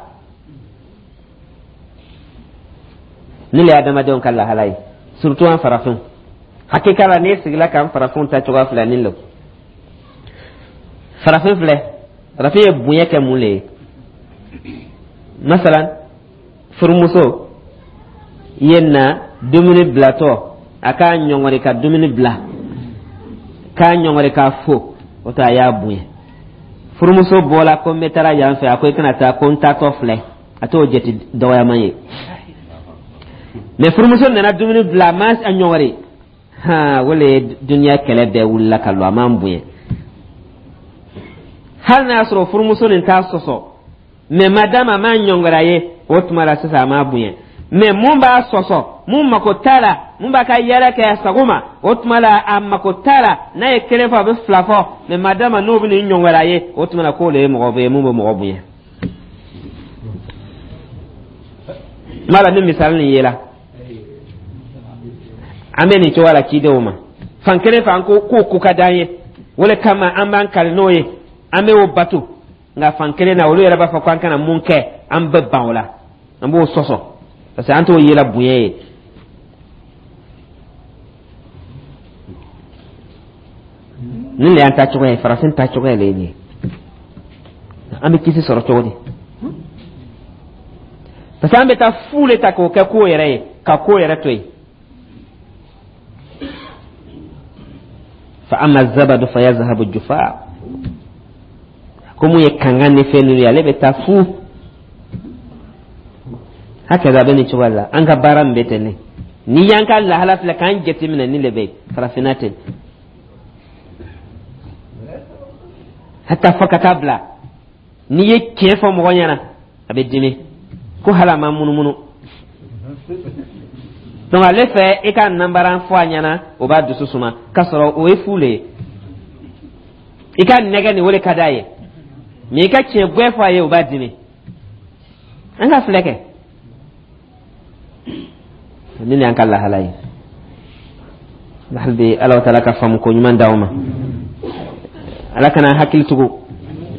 Ne le ye adamadenw ka lahala ye, surtout an farafinw. Hakika la, n'e sigila k'an farafinw ta cogoya filɛ nin lo. Farafin filɛ, farafin ye bonya kɛ mun le ye? Masalan, furumuso ye na dumuni bilatɔ, a k'a ɲɔngɔri ka dumuni bila, k'a ɲɔngɔri k'a fo, o to a y'a bonya. Furumuso bɔla ko n bɛ taara yan fɛ, a ko i kana taa, ko n taatɔ filɛ, a t'o jate dɔgɔyaman ye. Mɛ furumuso nana dumuni bila, a ma a ɲɔngɔri, han, o le ye duniya kɛlɛ bɛɛ wulila ka lɔ, a m'an bonya. Hali n'a y'a sɔrɔ furumuso nin t'a sɔsɔ, mɛ madame a m'a ɲɔngɔri a ye, o tuma la sisan a m'a bonya. Mɛ mun b'a sɔsɔ, mun mako t'a la, mun b'a ka yɛlɛ kɛ a sago ma, o tuma la a mako t'a la. N'a ye kelen fɔ, a bɛ fila fɔ. Mɛ madama n'o bɛ nin ɲɔngɔri a ye, o tuma la k'o de ye mɔgɔ ye mun bɛ mɔgɔ bonya. N b'a la ni misali nin yela, an bɛ nin cogoya la cidenw ma. Fan kelen fɛ, an ko k'o ko ka d'an ye, o de kama an b'an kali n'o ye, an bɛ o bato. Nka fan kelen na, olu yɛrɛ b'a fɔ ko an kana mun kɛ, an bɛ ban o la, an b'o sɔsɔ, parce que an t'o yela bonya ye. Nin de y'an ta cogoya ye, farafin ta cogoya de ye nin ye. An bɛ kisi sɔrɔ cogo di? Parce que an bɛ taa fu le ta k'o kɛ ko yɛrɛ ye, ka ko yɛrɛ to yen. Fa amma zabadu fa yazhabu jufa. Ko mun ye kankan ni fɛn ninnu ye, ale bɛ taa fu. Hakaza, a bɛ nin cogoya la. An ka baara min bɛ ten ne, n'i y'an ka lahala filɛ k'an jateminɛ, nin de bɛ farafinna ten, hata fɔ ka taa bila n'i ye tiɲɛ fɔ mɔgɔ ɲɛna, a bɛ dimi ko hali a ma munumunu. Donc ale fɛ, i ka nanbaran fɔ a ɲɛna, o b'a dusu suma, k'a sɔrɔ o ye fu le ye. I ka nɛgɛ nin, o de ka d'a ye, mɛ i ka tiɲɛ gwɛ fɔ a ye, o b'a dimi. An ka filɛ kɛ, nin y'an ka lahala ye. Hali bi, Ala taala ka faamu ko ɲuman d'aw ma, Ala kana hakili tugu.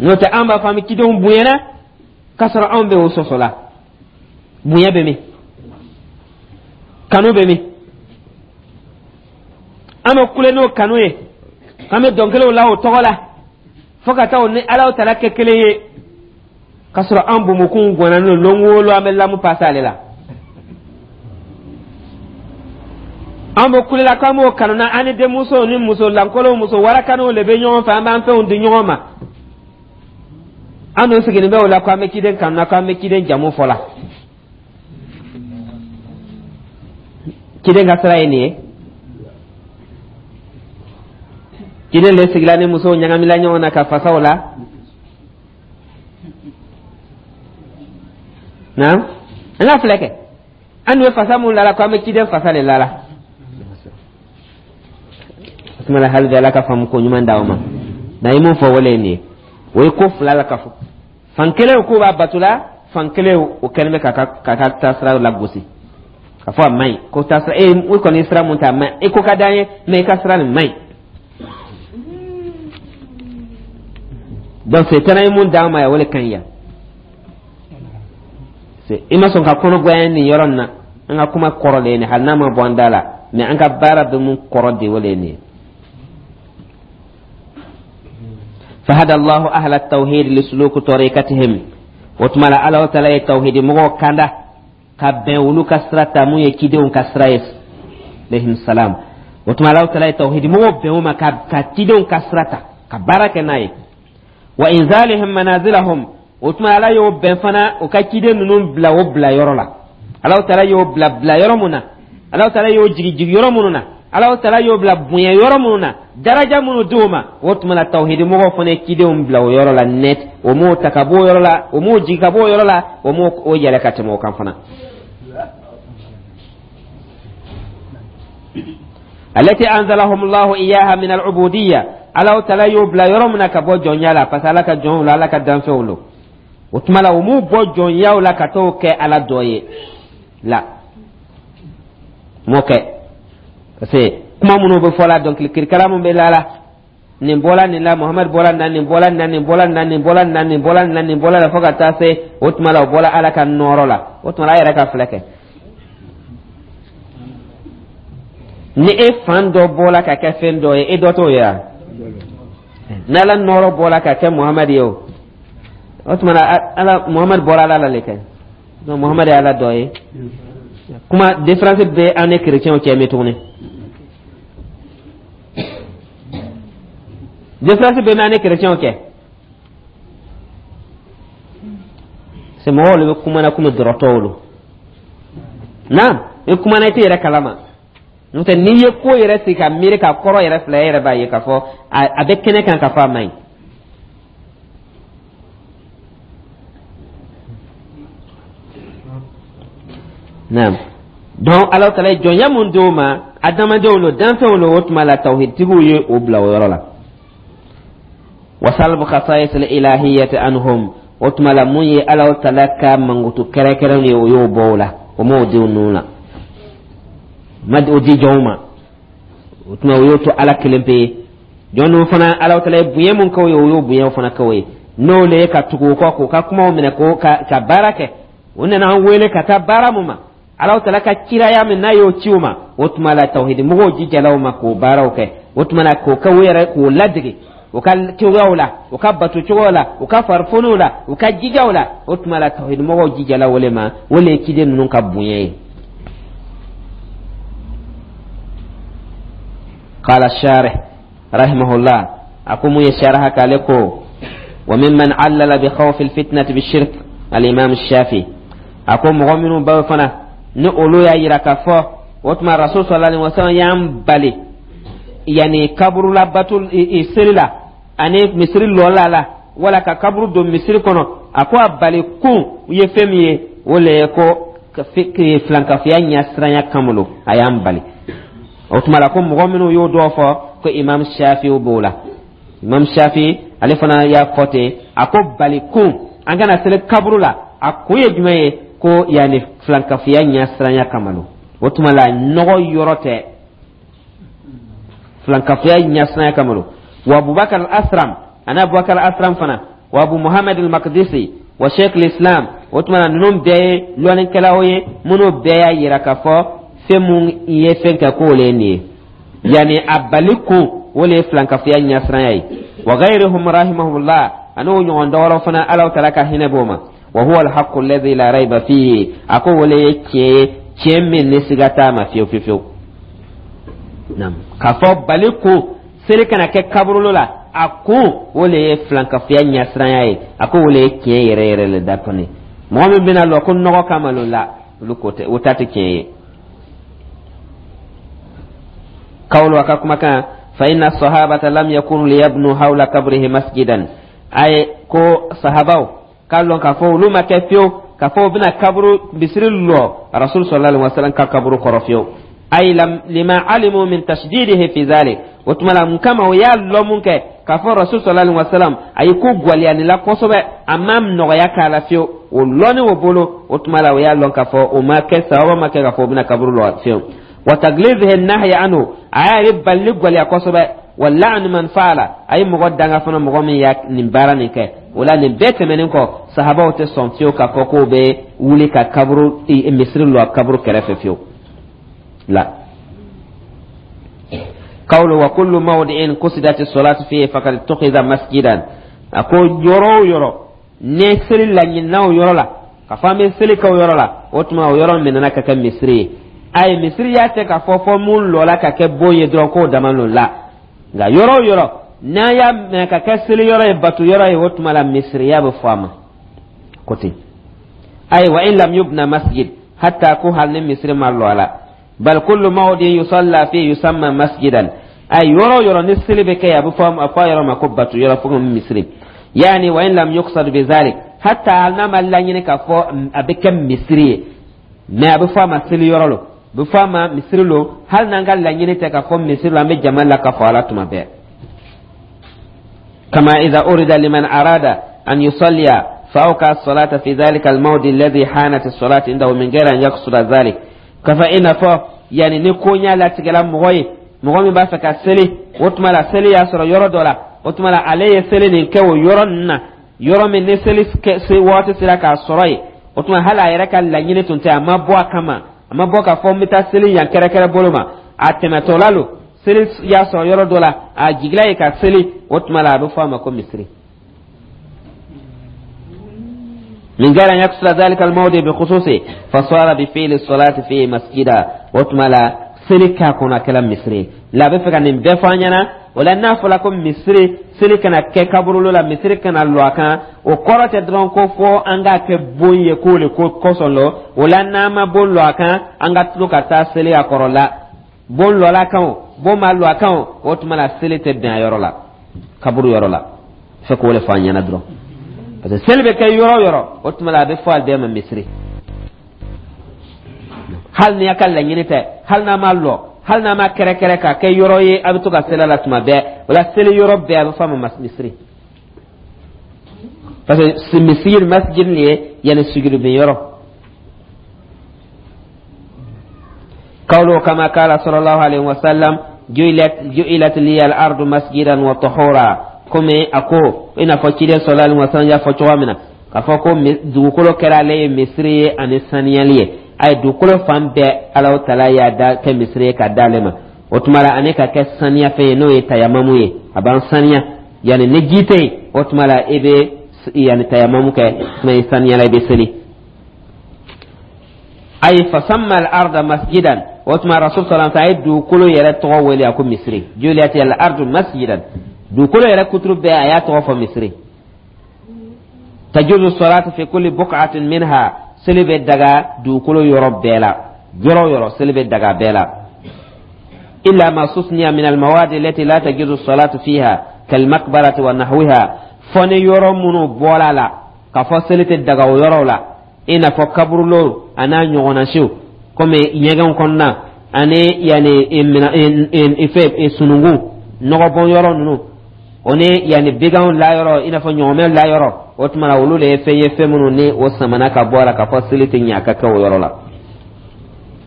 N'o tɛ, an b'a fɔ an bɛ cidenw bonyana, k'a sɔrɔ anw bɛ o sɔsɔ la. Bonya bɛ min? Kanu bɛ min? An bɛ kule n'o kanu ye, an bɛ dɔnkiliw la o tɔgɔ la, fo ka taa o ni Ala taala kɛ kelen ye, k'a sɔrɔ an bomokunw gɔnna n'o lon o lon, an bɛ lamu pase ale la. An bɛ kulela k'an b'o kanu na, an ni denmusow ni muso lankolonw, muso warakaniw de bɛ ɲɔgɔn fɛ, an b'an fɛnw di ɲɔgɔn ma. An dun sigilen bɛ o la k'an bɛ ciden kanu na, k'an bɛ ciden jamu fɔ la. Ciden ka sira ye nin ye. Ciden de sigila ni musow ɲagamila ɲɔgɔn na ka fasaw la na. An ka filɛ kɛ, an dun bɛ fasa mun lala, ko an bɛ ciden fasa de lala. O tuma la, hali bi, Ala ka faamu ko ɲuman d'aw ma. N'a ye mun fɔ, wale ye nin ye, o ye ko fila la ka fɔ. Fan kelen k'u b'a bato la, fan kelen o kɛlen bɛ k'a ka taasira lagosi, k'a fɔ a man ɲi, ko taasira e i kɔni ye sira mun ta, a man ɲi. E ko ka d'an ye, mɛ i ka sira nin man ɲi. Donc setana ye mun d'an ma yan, o le ka ɲi yan. I ma sɔn ka kɔnɔ goya nin yɔrɔ nin na. An ka kuma kɔrɔ de ye nin, hali n'a ma bɔ an da la, mais an ka baara bɛ mun kɔrɔ de, o le ye nin ye. Fahada Allahu ahla tawhid lisuluku tariqatihim. O tuma la, Ala taala ye tawhidi mɔgɔw kanda ka bɛn olu ka sira ta, mun ye cidenw ka sira ye, alayhim salam. O tuma, Ala taala ye tawhidi mɔgɔw bɛn o ma ka cidenw ka sira ta ka baara kɛ n'a ye. Wa inzalihim manazilahum. O tuma, Ala y'o bɛn fana o ka ciden ninnu bila o bila yɔrɔ la. Ala taala y'o bila bila yɔrɔ mun na, Ala taala y'o jigi jigi yɔrɔ minnu na, Ala taala y'o bila bonya yɔrɔ minnu na, daraja minnu di o ma, o tuma la, tawhidi mɔgɔw fana ye cidenw bila o yɔrɔ la net. O m'o ta ka bɔ o yɔrɔ la, o m'o jigi ka bɔ o yɔrɔ la, o m'o o yɛlɛ ka tɛmɛ o kan fana. Alati anzalahum Allahu iyaha min al-ubudiyya. Ala taala y'o bila yɔrɔ min na ka bɔ jɔnya la, parce que Ala ka jɔnw la, Ala ka danfɛnw lo. O tuma la, o m'u bɔ jɔnyaw la ka t'o kɛ Ala dɔ ye la, m'o kɛ, parce que kuma minnu bɛ fɔ la, dɔnkili kirikara min bɛ la la, nin bɔla nin la, Muhamadu bɔla nin na, nin bɔla nin na, nin bɔla nin na, nin bɔla nin na, nin bɔla nin na, nin bɔla la, fo ka taa se o tuma la, o bɔla Ala ka nɔɔrɔ la. O tuma la, a yɛrɛ ka filɛ kɛ, ni e fan dɔ bɔla ka kɛ fɛn dɔ ye, e dɔ t'o ye wa? N'Ala nɔɔrɔ bɔla ka kɛ Muhamadu ye, o o tuma na, Ala Muhamadu bɔra Ala la le kɛ. Donc Muhamadu ye Ala dɔ ye. Kuma différence bɛ an ni chrétiens cɛ min tuguni, différence bɛ an ni chrétiens cɛ. C'est mɔgɔw le bɛ kuma na komi dɔrɔtɔw lo. Naam, i kumana, i tɛ yɛrɛ kalama. N'o tɛ, n'i ye ko yɛrɛ sigi ka miiri ka kɔrɔ yɛrɛ filɛ, e yɛrɛ b'a ye k'a fɔ a bɛ kɛnɛ kan k'a fɔ a man ɲi. Naam, donc Ala taala ye jɔnya mun d'o ma, adamadenw lo, danfɛnw lo, o tuma la, tawhidtigiw ye o bila o yɔrɔ la. Wasalbu khasais al-ilahiyyati anhum. O tuma la, mun ye Ala taala ka mankutu kɛrɛnkɛrɛn ye, o y'o bɔ o la, o m'o di ninnu la, ma o di jɔnw ma. O tuma, o y'o to Ala kelen pe ye. Jɔn ninnu fana, Ala taala ye bonya mun k'o ye, o y'o bonyaw fana k'o ye, n'o le ye ka tugu o kɔ, k'o ka kumaw minɛ, k'o ka baara kɛ. O nana an wele ka taa baara mun ma, Ala taala ka kiraya min n'a y'o ci o ma, o tuma la, tawhidi mɔgɔw jijala o ma k'o baaraw kɛ. O tuma la, k'o kɛ o yɛrɛ, k'o ladege o ka cogoyaw la, o ka bato cogoyaw la, o ka farifoniw la, o ka jijaw la. O tuma la, tawhidi mɔgɔw jijala o le ma, o le ye ciden ninnu ka bonya ye. Qala sharih rahimahullah, a ko mun ye sharha k'ale ko: wa mimman allala bi khawfi alfitnati bishirk al-imam Shafi. A ko mɔgɔ minnu b'aw fana ni olu y'a yira k'a fɔ o tuma Rasul sallallahu alaihi wasallam y'an bali yani kaburula bato seli la ani misiri lɔla la, wala ka kaburu don misiri kɔnɔ, a ko a bali kun ye fɛn min ye, o le ye ko filankafoya ɲɛsiranya kama lo a y'an bali. O tuma la, ko mɔgɔ minnu y'o dɔw fɔ, ko Imam Shafi b'o la. Imam Shafi ale fana y'a fɔ ten, a ko bali kun an kana seli kaburu la, a kun ye jumɛn ye? Ko yanni filankafoya ɲɛsiranya kama lo. O tuma la, nɔgɔ yɔrɔ tɛ, filankafoya ɲɛsiranya kama lo. Wa Abubakar al-Asram, ani Abubakar al-Asram fana, wa Abu Muhammad al-Maqdisi, wa Sheikh al-Islam. O tuma na, ninnu bɛɛ ye lɔnnikɛlaw ye minnu bɛɛ y'a yira k'a fɔ fɛn mun ye fɛn kɛ, k'o le ye nin ye, yanni a bali kun, o le ye filankafoya ɲɛsiranya ye. Wa ghayruhum rahimahullah, ani o ɲɔgɔn dɔwɛrɛw fana, Ala taala ka hinɛ b'o ma. Wa huwa alhaqqu alladhi la rayba fihi. A ko o le ye tiɲɛ ye, tiɲɛ min ni siga t'a ma fiyewu fiyewu fiyewu. Naam, k'a fɔ bali kun seli kana kɛ kaburulo la, a kun o le ye filankafoya ɲɛsiranya ye, a ko o le ye tiɲɛ yɛrɛ yɛrɛ le da kɔni. Mɔgɔ min bɛna lɔ ko nɔgɔ kama lo la, olu ko tɛ, o ta tɛ tiɲɛ ye. Kawlo a ka kumakan: fa inna sahabata lam yakunu liyabnu hawla kabrihi masjidan. Aye ko sahabaw k'a lɔn k'a fɔ olu ma kɛ fiyewu k'a fɔ u bɛna kaburu misiri lɔ Rasul sallallahu alaihi wasallam ka kaburu kɔrɔ fiyewu. Ay lima alimu min tashdidihi fi zalik. O tuma la, mun kama? O y'a lɔn mun kɛ k'a fɔ Rasul sallallahu alaihi wasallam a ye ko gwaliyani la kosɛbɛ, a ma nɔgɔya k'a la fiyewu, o lɔnni o bolo. O tuma la, o y'a lɔn k'a fɔ o ma kɛ sababa ma kɛ k'a fɔ o bɛna kaburu lɔ fiyewu. Wa taglizihi nahya anhu, a y'a ye balili gwaliya kosɛbɛ. Wa la'nu man fa'ala, a ye mɔgɔ danga fana, mɔgɔ min ya nin baara nin kɛ. O la, nin bɛɛ tɛmɛnen kɔ, sahabaw tɛ sɔn fiyewu k'a fɔ k'o bɛ wuli ka kaburu misiri lɔ kaburu kɛrɛfɛ fiyewu la. Qawlu wa kullu mawdi'in qusidat as-salatu fihi faqad ittukhidha masjidan. A ko yɔrɔ o yɔrɔ ni seli laɲinina o yɔrɔ la, ka fɔ an bɛ seli kɛ o yɔrɔ la, o tuma o yɔrɔ minɛna ka kɛ misiri ye. Ayi, misiriya tɛ k'a fɔ fɔ mun lɔla ka kɛ bon ye dɔrɔn k'o dama lo la, nka yɔrɔ o yɔrɔ n'an y'a minɛ ka kɛ seli yɔrɔ ye, bato yɔrɔ ye, o tuma la misiriya bɛ fɔ a ma ko ten. Ayi, wa in lam yubna masjid, hatta ko hali ni misiri ma lɔ a la, bal kullu mawdin yusalla fi yusamma masjidan. Ayi, yɔrɔ o yɔrɔ ni seli bɛ kɛ yen, a bɛ fɔ a fɔ a yɔrɔ ma ko bato yɔrɔ, fo misiri. Yani wa in lam yuqsad bi zalik, hatta hali n'a ma laɲini k'a fɔ a bɛ kɛ misiri ye, mais a bɛ fɔ a ma seli yɔrɔ lo, a bɛ fɔ a ma misiri lo, hali n'an ka laɲini tɛ k'a fɔ misiri lo, an bɛ jama la k'a fɔ ala tuma bɛɛ. Kama idha urida liman arada an yusalliya فأوقع الصلاة في ذلك الموضع الذي حانت الصلاة عنده من غير أن يقصد ذلك. Kafa i n'a fɔ yani ni koɲa latigɛla mɔgɔ ye, mɔgɔ min b'a fɛ ka seli, o tuma la seli y'a sɔrɔ yɔrɔ dɔ la, o tuma la ale ye seli nin kɛ o yɔrɔ ninnu na, yɔrɔ min ni seli waati sera k'a sɔrɔ yen. O tuma hali a yɛrɛ ka laɲini tun tɛ, a ma bɔ a kama, a ma bɔ k'a fɔ n bɛ taa seli yan kɛrɛkɛrɛ bolo ma, a tɛmɛtɔla lo, seli y'a sɔrɔ yɔrɔ dɔ la, a jigila ye ka seli, o tuma la a bɛ fɔ a ma ko misiri. من غير أن يقصد ذلك الموضع بخصوصه، فصار بفعل الصلاة فيه مسجدا. O tuma la seli k'a kɔnɔ, a kɛla misiri la. A bɛ fɛ ka nin bɛɛ fɔ an ɲɛna. O la, n'a fɔla ko misiri, seli kana kɛ kaburulo la, misiri kana lɔ a kan, o kɔrɔ tɛ dɔrɔn ko fɔ an k'a kɛ bon ye k'o le ko kosɔn lɔ. O la, n'an ma bon lɔ a kan, an ka tulo ka taa seli a kɔrɔ la. Bon lɔla kan o, bon ma lɔ a kan o, o tuma la seli tɛ bɛn a yɔrɔ la, kaburu yɔrɔ la. Fɛ k'o le fɔ an ɲɛna dɔrɔn, parce que seli bɛ kɛ yɔrɔ o yɔrɔ, o tuma la a bɛ fɔ a bɛɛ ma misiri, hali ni a ka laɲini tɛ, hali n'a ma lɔ, hali n'a ma kɛrɛkɛrɛ k'a kɛ yɔrɔ ye a bɛ to ka seli a la tuma bɛɛ. O la, seli yɔrɔ bɛɛ a bɛ fɔ a ma misiri, parce que misiri, masjid nin ye yanni sugurubin yɔrɔ. Qawlu kama qala sallallahu alaihi wasallam ju'ilat liya al-ardu masjidan wa tahura. Komi a ko i n'a fɔ ciden sallallahu alaihi wasallam y'a fɔ cogoya min na, k'a fɔ ko dugukolo kɛra ale ye misiri ye ani saniyali ye. A ye dugukolo fan bɛɛ, Alahu taala y'a da kɛ misiri ye ka d'ale ma. O tuma la, ani ka kɛ saniya fɛn ye, n'o ye tayamamu ye, a b'an saniya. Yanni ni ji tɛ yen, o tuma la i bɛ yanni tayamamu kɛ, tuma i saniyala, i bɛ seli. Ayi, fasamma al-arda masjidan. O tuma rasul sallallahu alaihi wasallam a ye dugukolo yɛrɛ tɔgɔ wele, a ko misiri. Ju'ilati al-ardu masjidan, dugukolo yɛrɛ kuturu bɛɛ a y'a tɔgɔ fɔ misiri. Tajuzu salatu fi kulli buq'atin minha, seli bɛ daga dugukolo yɔrɔ bɛɛ la, yɔrɔ o yɔrɔ seli bɛ daga bɛɛ la. Illa ma susniya min al-mawadi allati la tajuzu salatu fiha kalmaqbarati wa nahwiha. Fɔ ni yɔrɔ minnu bɔra la k'a fɔ seli tɛ daga o yɔrɔw la, i n'a fɔ kaburulo a n'a ɲɔgɔnna siw, komi ɲɛgɛnw kɔnɔna ani yanni fɛ sununkun nɔgɔbɔn yɔrɔ ninnu, o ni yanni biganw layɔrɔ, i n'a fɔ ɲɔgɔmɛ layɔrɔ. O tuma na olu de ye fɛn ye, fɛn minnu ni o samana ka bɔ a la k'a fɔ seli tɛ ɲɛ a ka kɛ o yɔrɔ la.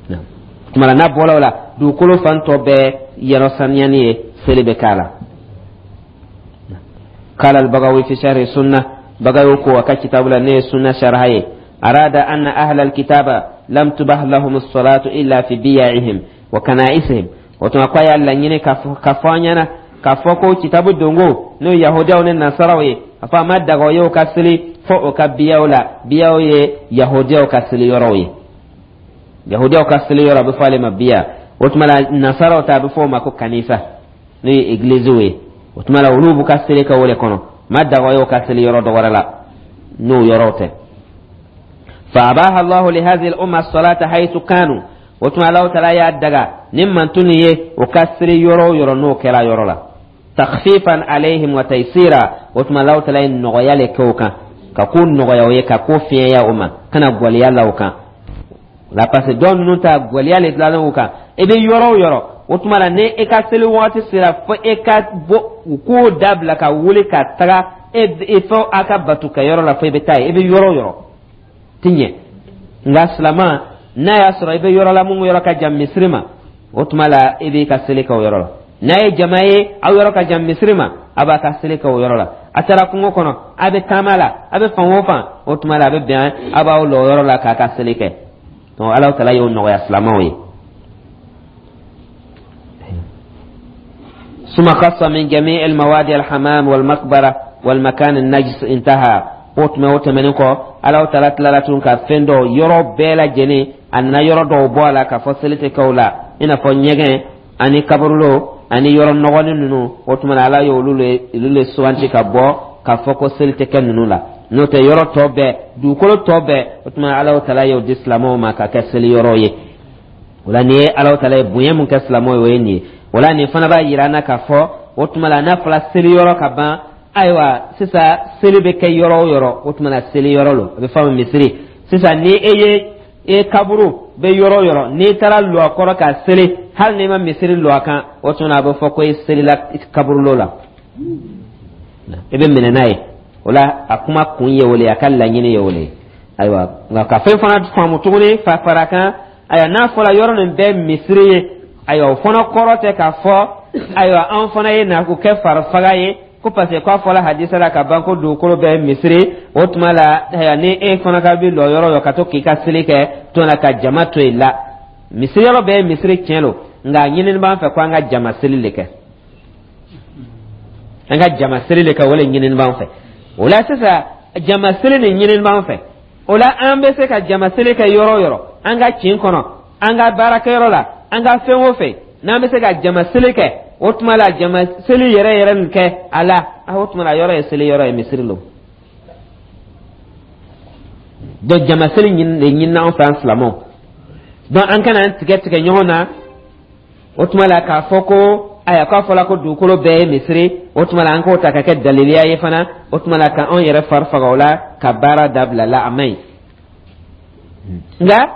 O tuma na n'a bɔra o la, dugukolo fan tɔ bɛɛ yɔrɔ saniyani ye, seli bɛ k'a la. Qala al-Bagawi fi sharh sunnah, Bagawi ko a ka kitabu la ne ye sunna sharha ye, arada anna ahla al-kitaba lam tubah lahum as-salatu illa fi biya'ihim wa kana'isihim. O tuma ko a y'a laɲini ka fɔ an ɲɛna k'a fɔ ko kitabu dongo, n'o ye yahudiyaw ni nasaraw ye, a fɔ a ma daga o ye o ka seli fo o ka biyaw la. Biyaw ye yahudiyaw ka seli yɔrɔw ye, yahudiyaw ka seli yɔrɔ a bɛ fɔ ale ma biya. O tuma la nasaraw ta, a bɛ fɔ o ma ko kanisa, n'o ye egiliziw ye. O tuma la olu b'u ka seli kɛ o de kɔnɔ, ma daga o ye o ka seli yɔrɔ dɔ wɛrɛ la n'o yɔrɔw tɛ. Fa abaha Allahu li hadhihi al-umma as-salata haythu kanu. O tuma Alahu taala y'a daga ni mantun ye o ka seli yɔrɔ o yɔrɔ n'o kɛra yɔrɔ la, takhfifan alayhim wa taysira. O tuma Alahu taala ye nɔgɔya le kɛ o kan, ka ko nɔgɔya o ye, ka ko fiɲɛya o ma, kana gwɛlɛya la o kan la, parce que dɔw ninnu ta gwɛlɛya le dilanna o kan. I bɛ yɔrɔ o yɔrɔ, o tuma la ni e ka seli waati sera, fo e ka bɔ u k'o dabila ka wuli ka taga e fo a ka bato kɛ yɔrɔ la, fo i bɛ taa yen. I bɛ yɔrɔ o yɔrɔ ti ɲɛ. Nka silama n'a y'a sɔrɔ i bɛ yɔrɔ la mun yɔrɔ ka jan misiri ma, o tuma la i b'i ka seli kɛ o yɔrɔ la. N'a ye jama ye, aw yɔrɔ ka jan misiri ma, a b'a ka seli kɛ o yɔrɔ la. A taara kungo kɔnɔ, a bɛ taama la, a bɛ fan o fan, o tuma la a bɛ bɛn a b'aw lɔ o yɔrɔ la k'a ka seli kɛ. Donc Alahu Taala y'o nɔgɔya silamɛw ye. ثم خص من جميع المواد الحمام والمقبرة والمكان النجس انتهى. O tuma o tɛmɛnen kɔ, Alahu Taala tilala tun ka fɛn dɔw yɔrɔ bɛɛ lajɛlen, a nana yɔrɔ dɔw bɔ a la k'a fɔ seli tɛ kɛ o la, i n'a fɔ ɲɛgɛn ani kaburudo ani yɔrɔ nɔgɔnin ninnu. O tuma na Ala ye olu le suganti ka bɔ k'a fɔ ko seli tɛ kɛ ninnu la. N'o tɛ, yɔrɔ tɔ bɛɛ, dugukolo tɔ bɛɛ, o tuma Alahu Taala y'o di silamɛw ma ka kɛ seli yɔrɔ ye. O la nin ye Alahu Taala ye bonya mun kɛ silamɛw ye, o ye nin ye. O la nin fana b'a yira an na k'a fɔ o tuma la n'a fɔra seli yɔrɔ ka ban, ayiwa sisan seli bɛ kɛ yɔrɔ o yɔrɔ, o tuma na seli yɔrɔ lo, a bɛ fɔ a ma misiri. Sisan ni e ye e kaburu bɛ yɔrɔ o yɔrɔ, n'i taara lɔ a kɔrɔ ka seli, hali n'i ma misiri lɔ a kan, o tuma na a bɛ fɔ ko e selila kaburulo la, i bɛ minɛ n'a ye. O la a kuma kun ye o le ye, a ka laɲini ye o le ye. Ayiwa, nka ka fɛn fana faamu tuguni fa fara kan, ayiwa n'a fɔra yɔrɔ nin bɛɛ misiri ye, ayiwa o fana kɔrɔ tɛ k'a fɔ ayiwa an fana ye na k'o kɛ farifaga ye ko parce que k'a fɔla hadisa la ka ban ko dugukolo bɛɛ misiri. O tuma la ayiwa ni e fana ka bi lɔ yɔrɔ yɔrɔ ka to k'i ka seli kɛ to la ka jama to yen la, misiri yɔrɔ bɛɛ ye misiri tiɲɛ lo, nka ɲinini b'an fɛ ko an ka jama seli de kɛ, an ka jama seli de kɛ, o de ɲinini b'an fɛ. O la sisan jama seli nin ɲinini b'an fɛ, o la an bɛ se ka jama seli kɛ yɔrɔ o yɔrɔ, an ka kin kɔnɔ, an ka baarakɛyɔrɔ la, an ka fɛn o fɛn n'an bɛ se ka jama seli kɛ, o tuma la jama seli yɛrɛ yɛrɛ nin kɛ a la, o tuma la yɔrɔ ye seli yɔrɔ ye, misiri lo. Donc jama seli de ɲinina an fɛ an silamɛw. Donc an kana an tigɛ tigɛ ɲɔgɔn na. O tuma la k'a fɔ ko ayiwa k'a fɔla ko dugukolo bɛɛ ye misiri, o tuma la an k'o ta ka kɛ daliliya ye fana, o tuma la ka anw yɛrɛ fari faga o la ka baara dabila la, a man ɲi. Nka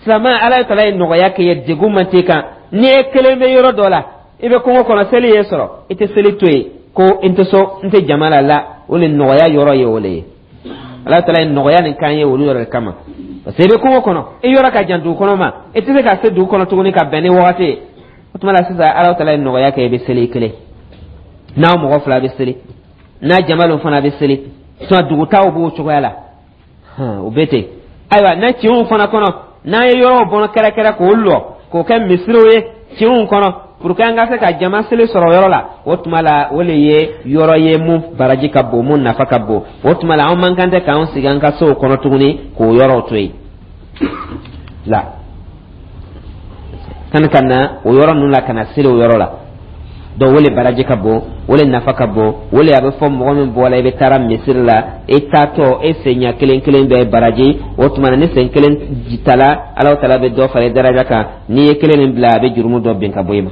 silamɛ, Ala taala ye nɔgɔya kɛ ye, degun man t'i kan. N'i ye kelen bɛ yɔrɔ dɔ la, i bɛ kungo kɔnɔ, seli ye sɔrɔ, i tɛ seli to yen ko n tɛ so, n tɛ jama la la, o le nɔgɔya yɔrɔ ye o le ye. Ala taala ye nɔgɔya nin k'an ye olu yɔrɔ de kama, parce que i bɛ kungo kɔnɔ, i yɔrɔ ka jan dugu kɔnɔ ma, i tɛ se ka se dugu kɔnɔ tuguni ka bɛn ni wagati ye. O tuma la sisan Ala taala ye nɔgɔya kɛ, i bɛ seli kelen, n'aw mɔgɔ fila bɛ seli, n'a jama lo fana bɛ seli, sinon dugutaw b'o cogoya la, o bɛ ten. Ayiwa n'a kinw fana kɔnɔ, n'an ye yɔrɔw bɔn kɛrɛkɛrɛ k'o lɔ k'o kɛ misiriw ye kinw kɔnɔ pour que an ka se ka jama seli sɔrɔ yɔrɔ la, o tuma la o le ye yɔrɔ ye mun baraji ka bon, mun nafa ka bon. O tuma la an man kan tɛ k'an sigi an ka sow kɔnɔ tuguni k'o yɔrɔw to yen la kan ka na o yɔrɔ ninnu la ka na seli o yɔrɔ la. Donc o le baraji ka bon, o le nafa ka bon, o le a bɛ fɔ mɔgɔ min bɔra i bɛ taara misiri la, e taatɔ e sen ɲɛ kelen kelen bɛɛ baraji. O tuma na ni sen kelen tala, Alahu taala bɛ dɔ fara i daraja kan, n'i ye kelen nin bila a bɛ jurumu dɔ bin ka bɔ i ma.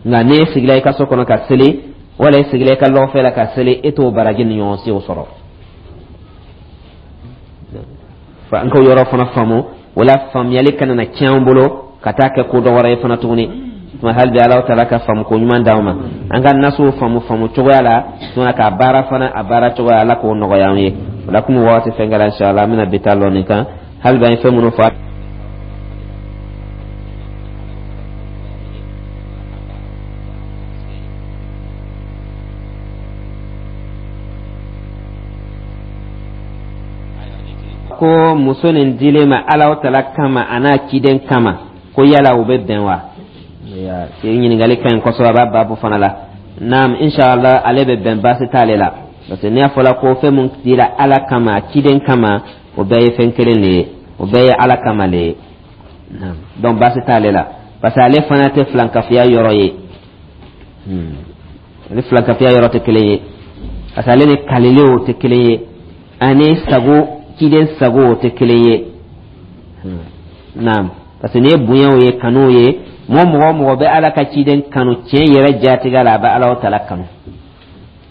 Nka n'e sigila i ka so kɔnɔ ka seli, wala e sigila i ka lɔgɔfɛ la ka seli, e t'o baraji ni ɲɔgɔn sew sɔrɔ. Fa an k'o yɔrɔ fana faamu, o la faamuyali kana na tiɲɛ an bolo ka taa kɛ ko dɔ wɛrɛ ye fana tuguni. Tuma hali bi Alahu taala ka faamu ko ɲuman d'anw ma, an ka nasuw faamu faamu cogoya la, tuma k'a baara fana a baara cogoya, Ala k'o nɔgɔya an ye. O la komi wagati fɛn kɛra, inshallah an bɛna bi ta lɔ nin kan. Hali bi an ye fɛn minnu fɔ, ko muso nin dilen ma Alahu taala kama a n'a ciden kama, ko yala o bɛ bɛn wa? Ɲininkali ka ɲi kosɛbɛ, a b'a baabu fana la. Naam, inshallah ale bɛ bɛn, baasi t'ale la, parce que n'i y'a fɔla ko fɛn mun dira Ala kama a ciden kama, o bɛɛ ye fɛn kelen de ye, o bɛɛ ye Ala kama le ye. Donc baasi t'ale la, parce que ale fana tɛ filankafoya yɔrɔ ye, ale filankafoya yɔrɔ tɛ kelen ye, parce que ale ni kalilew tɛ kelen ye, ani sago ciden sago o tɛ kelen ye. Naam, parce que n'i ye bonyaw ye, kanuw ye, mɔgɔ o mɔgɔ bɛ Ala ka ciden kanu tiɲɛ yɛrɛ jatigɛ la, a bɛ Alahu taala kanu.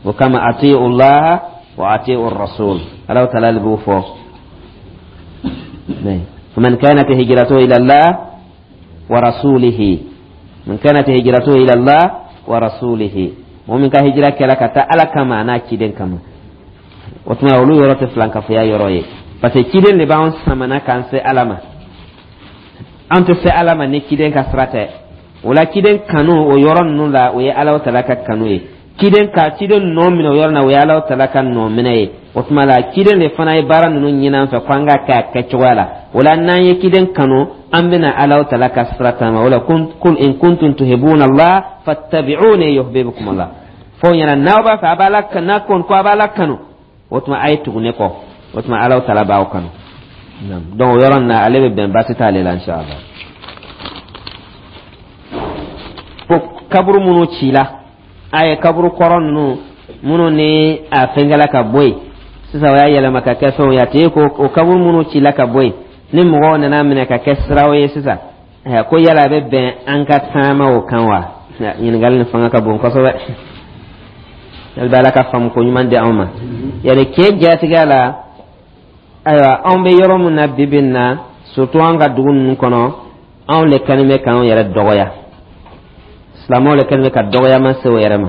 O kama atiu Allah wa atiu rasul, Alahu taala de b'o fɔ. Faman kanat hijratuhu ila Allah wa rasulihi, man kanat hijratuhu ila Allah wa rasulihi, mɔgɔ min ka hijira kɛra ka taa Ala kama a n'a ciden kama, o tuma olu yɔrɔ tɛ filankafoya yɔrɔ ye, parce que ciden de b'an samana k'an se Ala ma. An tɛ se Ala ma ni ciden ka sira tɛ. O la, ciden kanu o yɔrɔ ninnu la, o ye Alahu Taala ka kanu ye. Ciden ka ciden nɔ minɛ o yɔrɔ na, o ye Alahu Taala ka nɔ minɛ ye. O tuma la, ciden de fana ye baara ninnu ɲini an fɛ ko an ka kɛ a kɛcogoya la. O la, n'an ye ciden kanu, an bɛna Alahu Taala ka sira taama. O la, kul in kuntum tuhibbuna Allah fattabi'uni yuhibbukum Allah. Fɔ ɲɛna, n'aw b'a fɛ a b'a la, n'a ko ko a b'a la kanu, o tuma a ye tugu ne kɔ, o tuma Alahu Taala b'aw kanu. Donc o yɔrɔ nin na, ale bɛ bɛn, baasi t'ale la, inshallah. Ko kaburu minnu cila, a ye kaburu kɔrɔ ninnu minnu ni a fɛnkɛla ka bɔ yen sisan, o y'a yɛlɛma ka kɛ fɛnw ye, a tɛ ko o kaburu minnu cila ka bɔ yen, ni mɔgɔw nana minɛ ka kɛ siraw ye sisan, ko yala a bɛ bɛn an ka taama o kan wa? Ɲininkali nin fanga ka bon kosɛbɛ. Hali bɛ Ala ka faamu ko ɲuman di anw ma. Yani tiɲɛ jatigɛ la, ayiwa, anw bɛ yɔrɔ min na bi bi in na, surtout an ka dugu ninnu kɔnɔ, anw le kɛlen bɛ k'anw yɛrɛ dɔgɔya. Silamɛw le kɛlen bɛ ka dɔgɔyama se o yɛrɛ ma.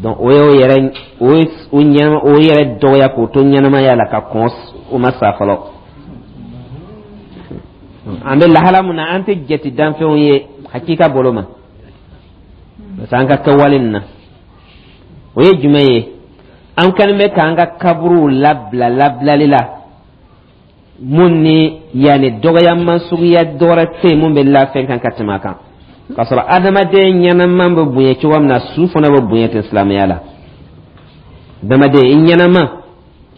Donc o y'o yɛrɛ o ye o ɲɛnama o yɛrɛ dɔgɔya k'o to ɲɛnamaya la ka kɔn o ma sa fɔlɔ. An bɛ lahala mun na, an tɛ jate danfɛnw ye hakika bolo ma, parce que an ka kɛwale nin na, o ye jumɛn ye? An kɛlen bɛ k'an ka kaburuw labila labilali la mun ni yanni dɔgɔyama suguya dɔwɛrɛ tɛ yen mun bɛ la fɛn kan ka tɛmɛ a kan, k'a sɔrɔ adamaden ɲɛnama bɛ bonya cogo min na, su fana bɛ bonya ten silamɛya la. Adamaden i ɲɛnama,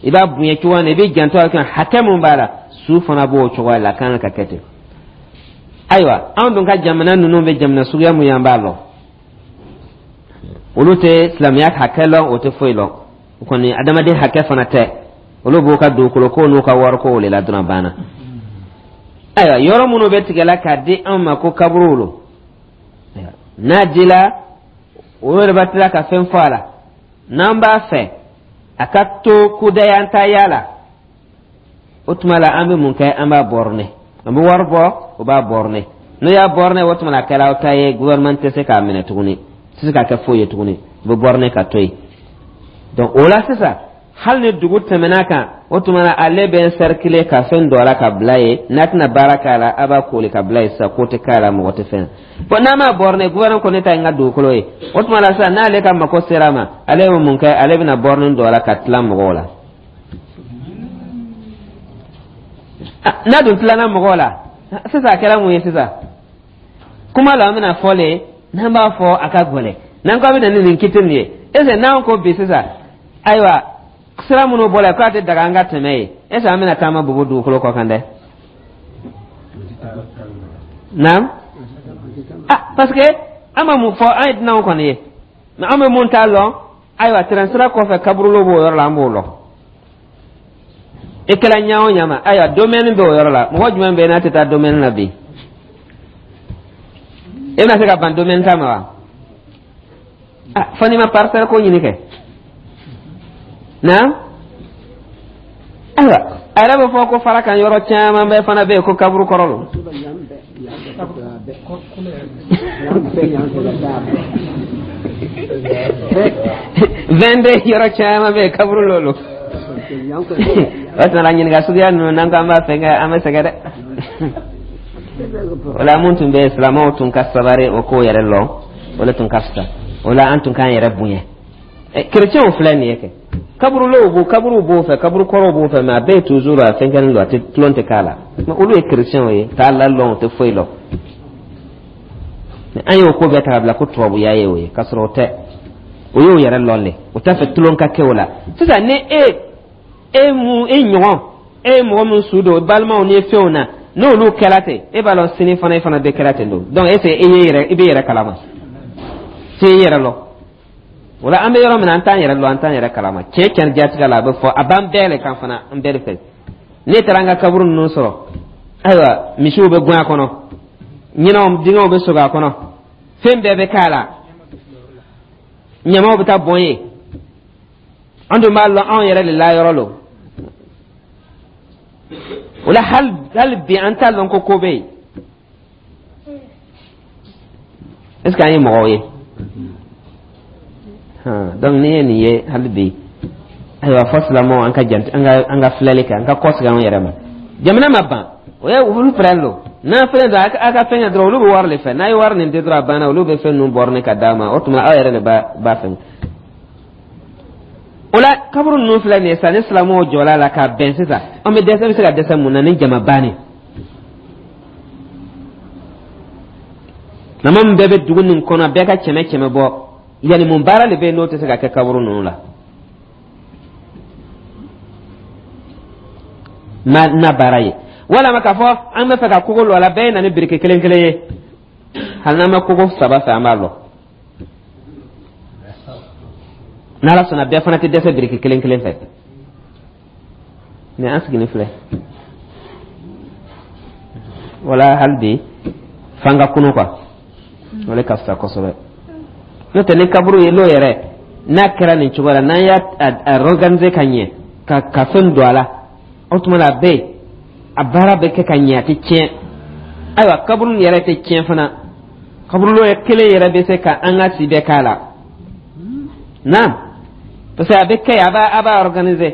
i b'a bonya cogo min na, i bɛ janto a kan, hakɛ mun b'a la, su fana b'o cogoya la, a kan ka kɛ ten. Ayiwa, anw dun ka jamana ninnu bɛ jamana suguya mun ye, an b'a lɔn. Olu tɛ silamɛya hakɛ lɔn, o tɛ foyi lɔn. O kɔni, adamaden hakɛ fana tɛ. Olu b'u ka dugukolo ko n'u ka wariko de la dɔrɔn, banna. Ayiwa, yɔrɔ minnu bɛ tigɛla k'a di anw ma ko kaburuw lo, n'a dila, o yɛrɛ b'a tila ka fɛn fɔ a la. N'an b'a fɛ a ka to kudayantaya la, o tuma la, an bɛ mun kɛ? An b'a borné, an bɛ wari bɔ, o b'a borné. N'o y'a borné, o tuma la, a kɛra aw ta ye. Gouvernement tɛ se k'a minɛ tuguni, tɛ se k'a kɛ foyi ye tuguni, o bɛ borné ka to yen. Donc o la sisan, hali ni dugu tɛmɛna kan, o tuma na, ale bɛ encercler ka fɛn dɔ la ka bila yen. N'a tɛna baara k'a la, a b'a koli ka bila yen sisan, ko tɛ k'a la, mɔgɔ tɛ fɛn. Bon, n'a m'a borné, gouvernement ko ne ta ye n ka dugukolo ye. O tuma la sisan, n'ale ka mako sera a ma, ale bɛ mun kɛ? Ale bɛna borne dɔ la ka tila mɔgɔw la. N'a dun tilana mɔgɔw la sisan, a kɛra mun ye sisan? Kuma la, an bɛna fɔ le, n'an b'a fɔ, a ka gɛlɛn. N'an ko a bɛ na ni nin kiti nin ye, est ce que n'an ko bi sisan, ayiwa, sira minnu bɔra k'a tɛ daga an ka tɛmɛ ye, est ce que an bɛna taama bobo dugukolo kɔ kan dɛ? Naam, ah, parce que an ma mun fɔ, an ye dunanw kɔni ye, mais an bɛ mun t'a lɔn. Ayiwa, tɛrɛn sira kɔfɛ, kaburulo b'o yɔrɔ la, an b'o lɔn. E kɛra ɲa o ɲa ma, ayiwa, domaine bɛ o yɔrɔ la. Mɔgɔ jumɛn bɛ yen n'a tɛ taa domaine na bi? E bɛna se ka ban domaine ta ma wa? Ah, fo n'i ma parcelle ko ɲini kɛ. Naam, ayiwa, a yɛrɛ bɛ fɔ ko fara kan yɔrɔ caman bɛɛ fana bɛ yen ko kaburu kɔrɔ lo. 22 yɔrɔ caman bɛ yen, kaburu lo lo. O tuma la, ɲininka suguya ninnu, n'an ko an b'a fɛn kɛ, an bɛ sɛgɛn dɛ. O la, mun tun bɛ yen, silamɛw tun ka sabari o ko yɛrɛ lɔn, o le tun ka fisa. O la, an tun k'an yɛrɛ bonya. Kerecɛnw filɛ nin ye kɛ, kaburulow b'o, kaburuw b'o fɛ, kaburu kɔrɔw b'o fɛ, mais a bɛɛ ye toujours a fɛn kɛlen don, a tɛ tulon tɛ k'a la. Mais olu ye kerecɛnw ye, t'a la lɔn, o tɛ foyi lɔn. An y'o ko bɛɛ ta ka bila ko tubabuya ye o ye, k'a sɔrɔ o tɛ. O y'o yɛrɛ lɔn de, o t'a fɛ tulon ka kɛ o la. Sisan ni e e mun e ɲɔgɔn e ye mɔgɔ min su don balimaw ni fɛnw na, n'olu kɛra ten, e b'a lɔn sini fana e fana bɛ kɛra ten don. Donc est ce que e ye yɛrɛ, i bɛ yɛrɛ kalama se i yɛrɛ lɔn? O la, an bɛ yɔrɔ min na, an t'an yɛrɛ lɔn, an t'an yɛrɛ kalama. Tiɲɛ tiɲɛ jatigɛ la, a bɛ fɔ a b'an bɛɛ le kan fana, an bɛɛ de fɛ. N'e taara an ka kaburu ninnu sɔrɔ, ayiwa, misiw bɛ gɛn a kɔnɔ, ɲinɛw dingɛw bɛ sogo a kɔnɔ, fɛn bɛɛ bɛ k'a la, ɲamaw bɛ taa bɔn yen. An dun b'a lɔn anw yɛrɛ de la yɔrɔ lo. O la, hali bi an t'a lɔn ko ko bɛ yen. Est ce que an ye mɔgɔw ye? Donc n'i ye nin ye hali bi, ayiwa, fɔ silamɛw an ka jant an ka an ka filɛli kɛ, an ka kɔsegin anw yɛrɛ ma. Jamana ma ban, o ye olu pɛrɛn lo. N'a fɛn dɔ a ka fɛn kɛ dɔrɔn, olu bɛ wari de fɛ. N'a ye wari nin di dɔrɔn, a banna. Olu bɛ fɛn ninnu bɔrɔni ka d'a ma. O tuma aw yɛrɛ de b'a fɛn o la. Kaburu ninnu filɛ nin ye sisan, ni silamɛw jɔla la ka bɛn sisan, an bɛ dɛsɛ, bɛ se ka dɛsɛ mun na ni jama bannen nama min bɛɛ bɛ dugu nin kɔnɔ, bɛɛ ka kɛmɛ kɛmɛ bɔ? Yanni mun baara de bɛ yen n'o tɛ se ka kɛ kaburu ninnu la ma na baara ye? Walama k'a fɔ an bɛ fɛ ka kogo lɔ a la, bɛɛ ye na ni biriki kelen kelen ye. Hali n'an ma kogo saba fɛ, an b'a lɔ. N'Ala sɔnna, bɛɛ fana tɛ dɛsɛ biriki kelen kelen fɛ. Mɛ an sigilen filɛ wala hali bi f'an ka kunu quoi, o de ka fisa kosɛbɛ. N'o tɛ, ni kaburu ye n'o yɛrɛ n'a kɛra nin cogo la, n'an y'a organiser ka ɲɛ, ka fɛn don a la, o tuma na a bɛ yen, a baara bɛ kɛ ka ɲɛ, a tɛ tiɲɛ. Ayiwa, kaburu yɛrɛ tɛ tiɲɛ fana. Kaburu kelen yɛrɛ bɛ se ka an ka si bɛɛ k'a la. Naam, parce que a bɛ kɛ yen, a b'a organiser.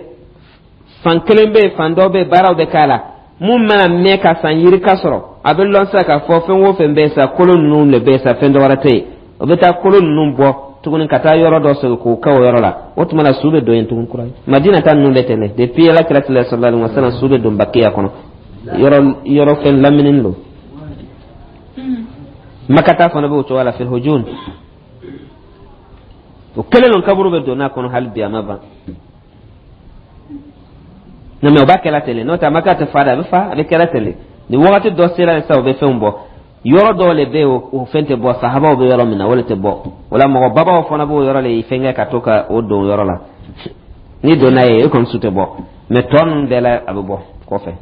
Fan kelen bɛ yen, fan dɔ bɛ yen, baaraw bɛ k'a la. Mun mana mɛn ka san yirika sɔrɔ, a bɛ lɔn sisan k'a fɔ fɛn o fɛn bɛ yen sa, kolo ninnu de bɛ yen sa, fɛn dɔ wɛrɛ tɛ yen. O bɛ taa kolo ninnu bɔ tuguni ka taa yɔrɔ dɔ sɔrɔ k'o kɛ o yɔrɔ la. O tuma na su bɛ don yen tuguni kura ye. Madina ta ninnu bɛ ten dɛ. Depuis Ala kira tile sallallahu alaihi wasallam, su bɛ don Bakiya kɔnɔ, yɔrɔ yɔrɔ fɛn lamini don. Makata fana bɛ o cogoya la, fil hujun. O kelen don, kaburu bɛ don n'a kɔnɔ hali bi, a ma ban. Na mɛ o b'a kɛla ten de. N'o tɛ, a ma kɛ a tɛ fa dɛ, a bɛ fa, a bɛ kɛla ten de. Ni wagati dɔ sera sisan, u bɛ fɛnw bɔ. Yɔrɔ dɔw le bɛ yen, o fɛn tɛ bɔ. Sahabaw bɛ yɔrɔ min na, o le tɛ bɔ. O la mɔgɔ babaw fana b'o yɔrɔ le fɛn kɛ ka to ka o don yɔrɔ la. N'i donna yen, e kɔni su tɛ bɔ, mɛ tɔ ninnu bɛɛ la, a bɛ bɔ kɔfɛ.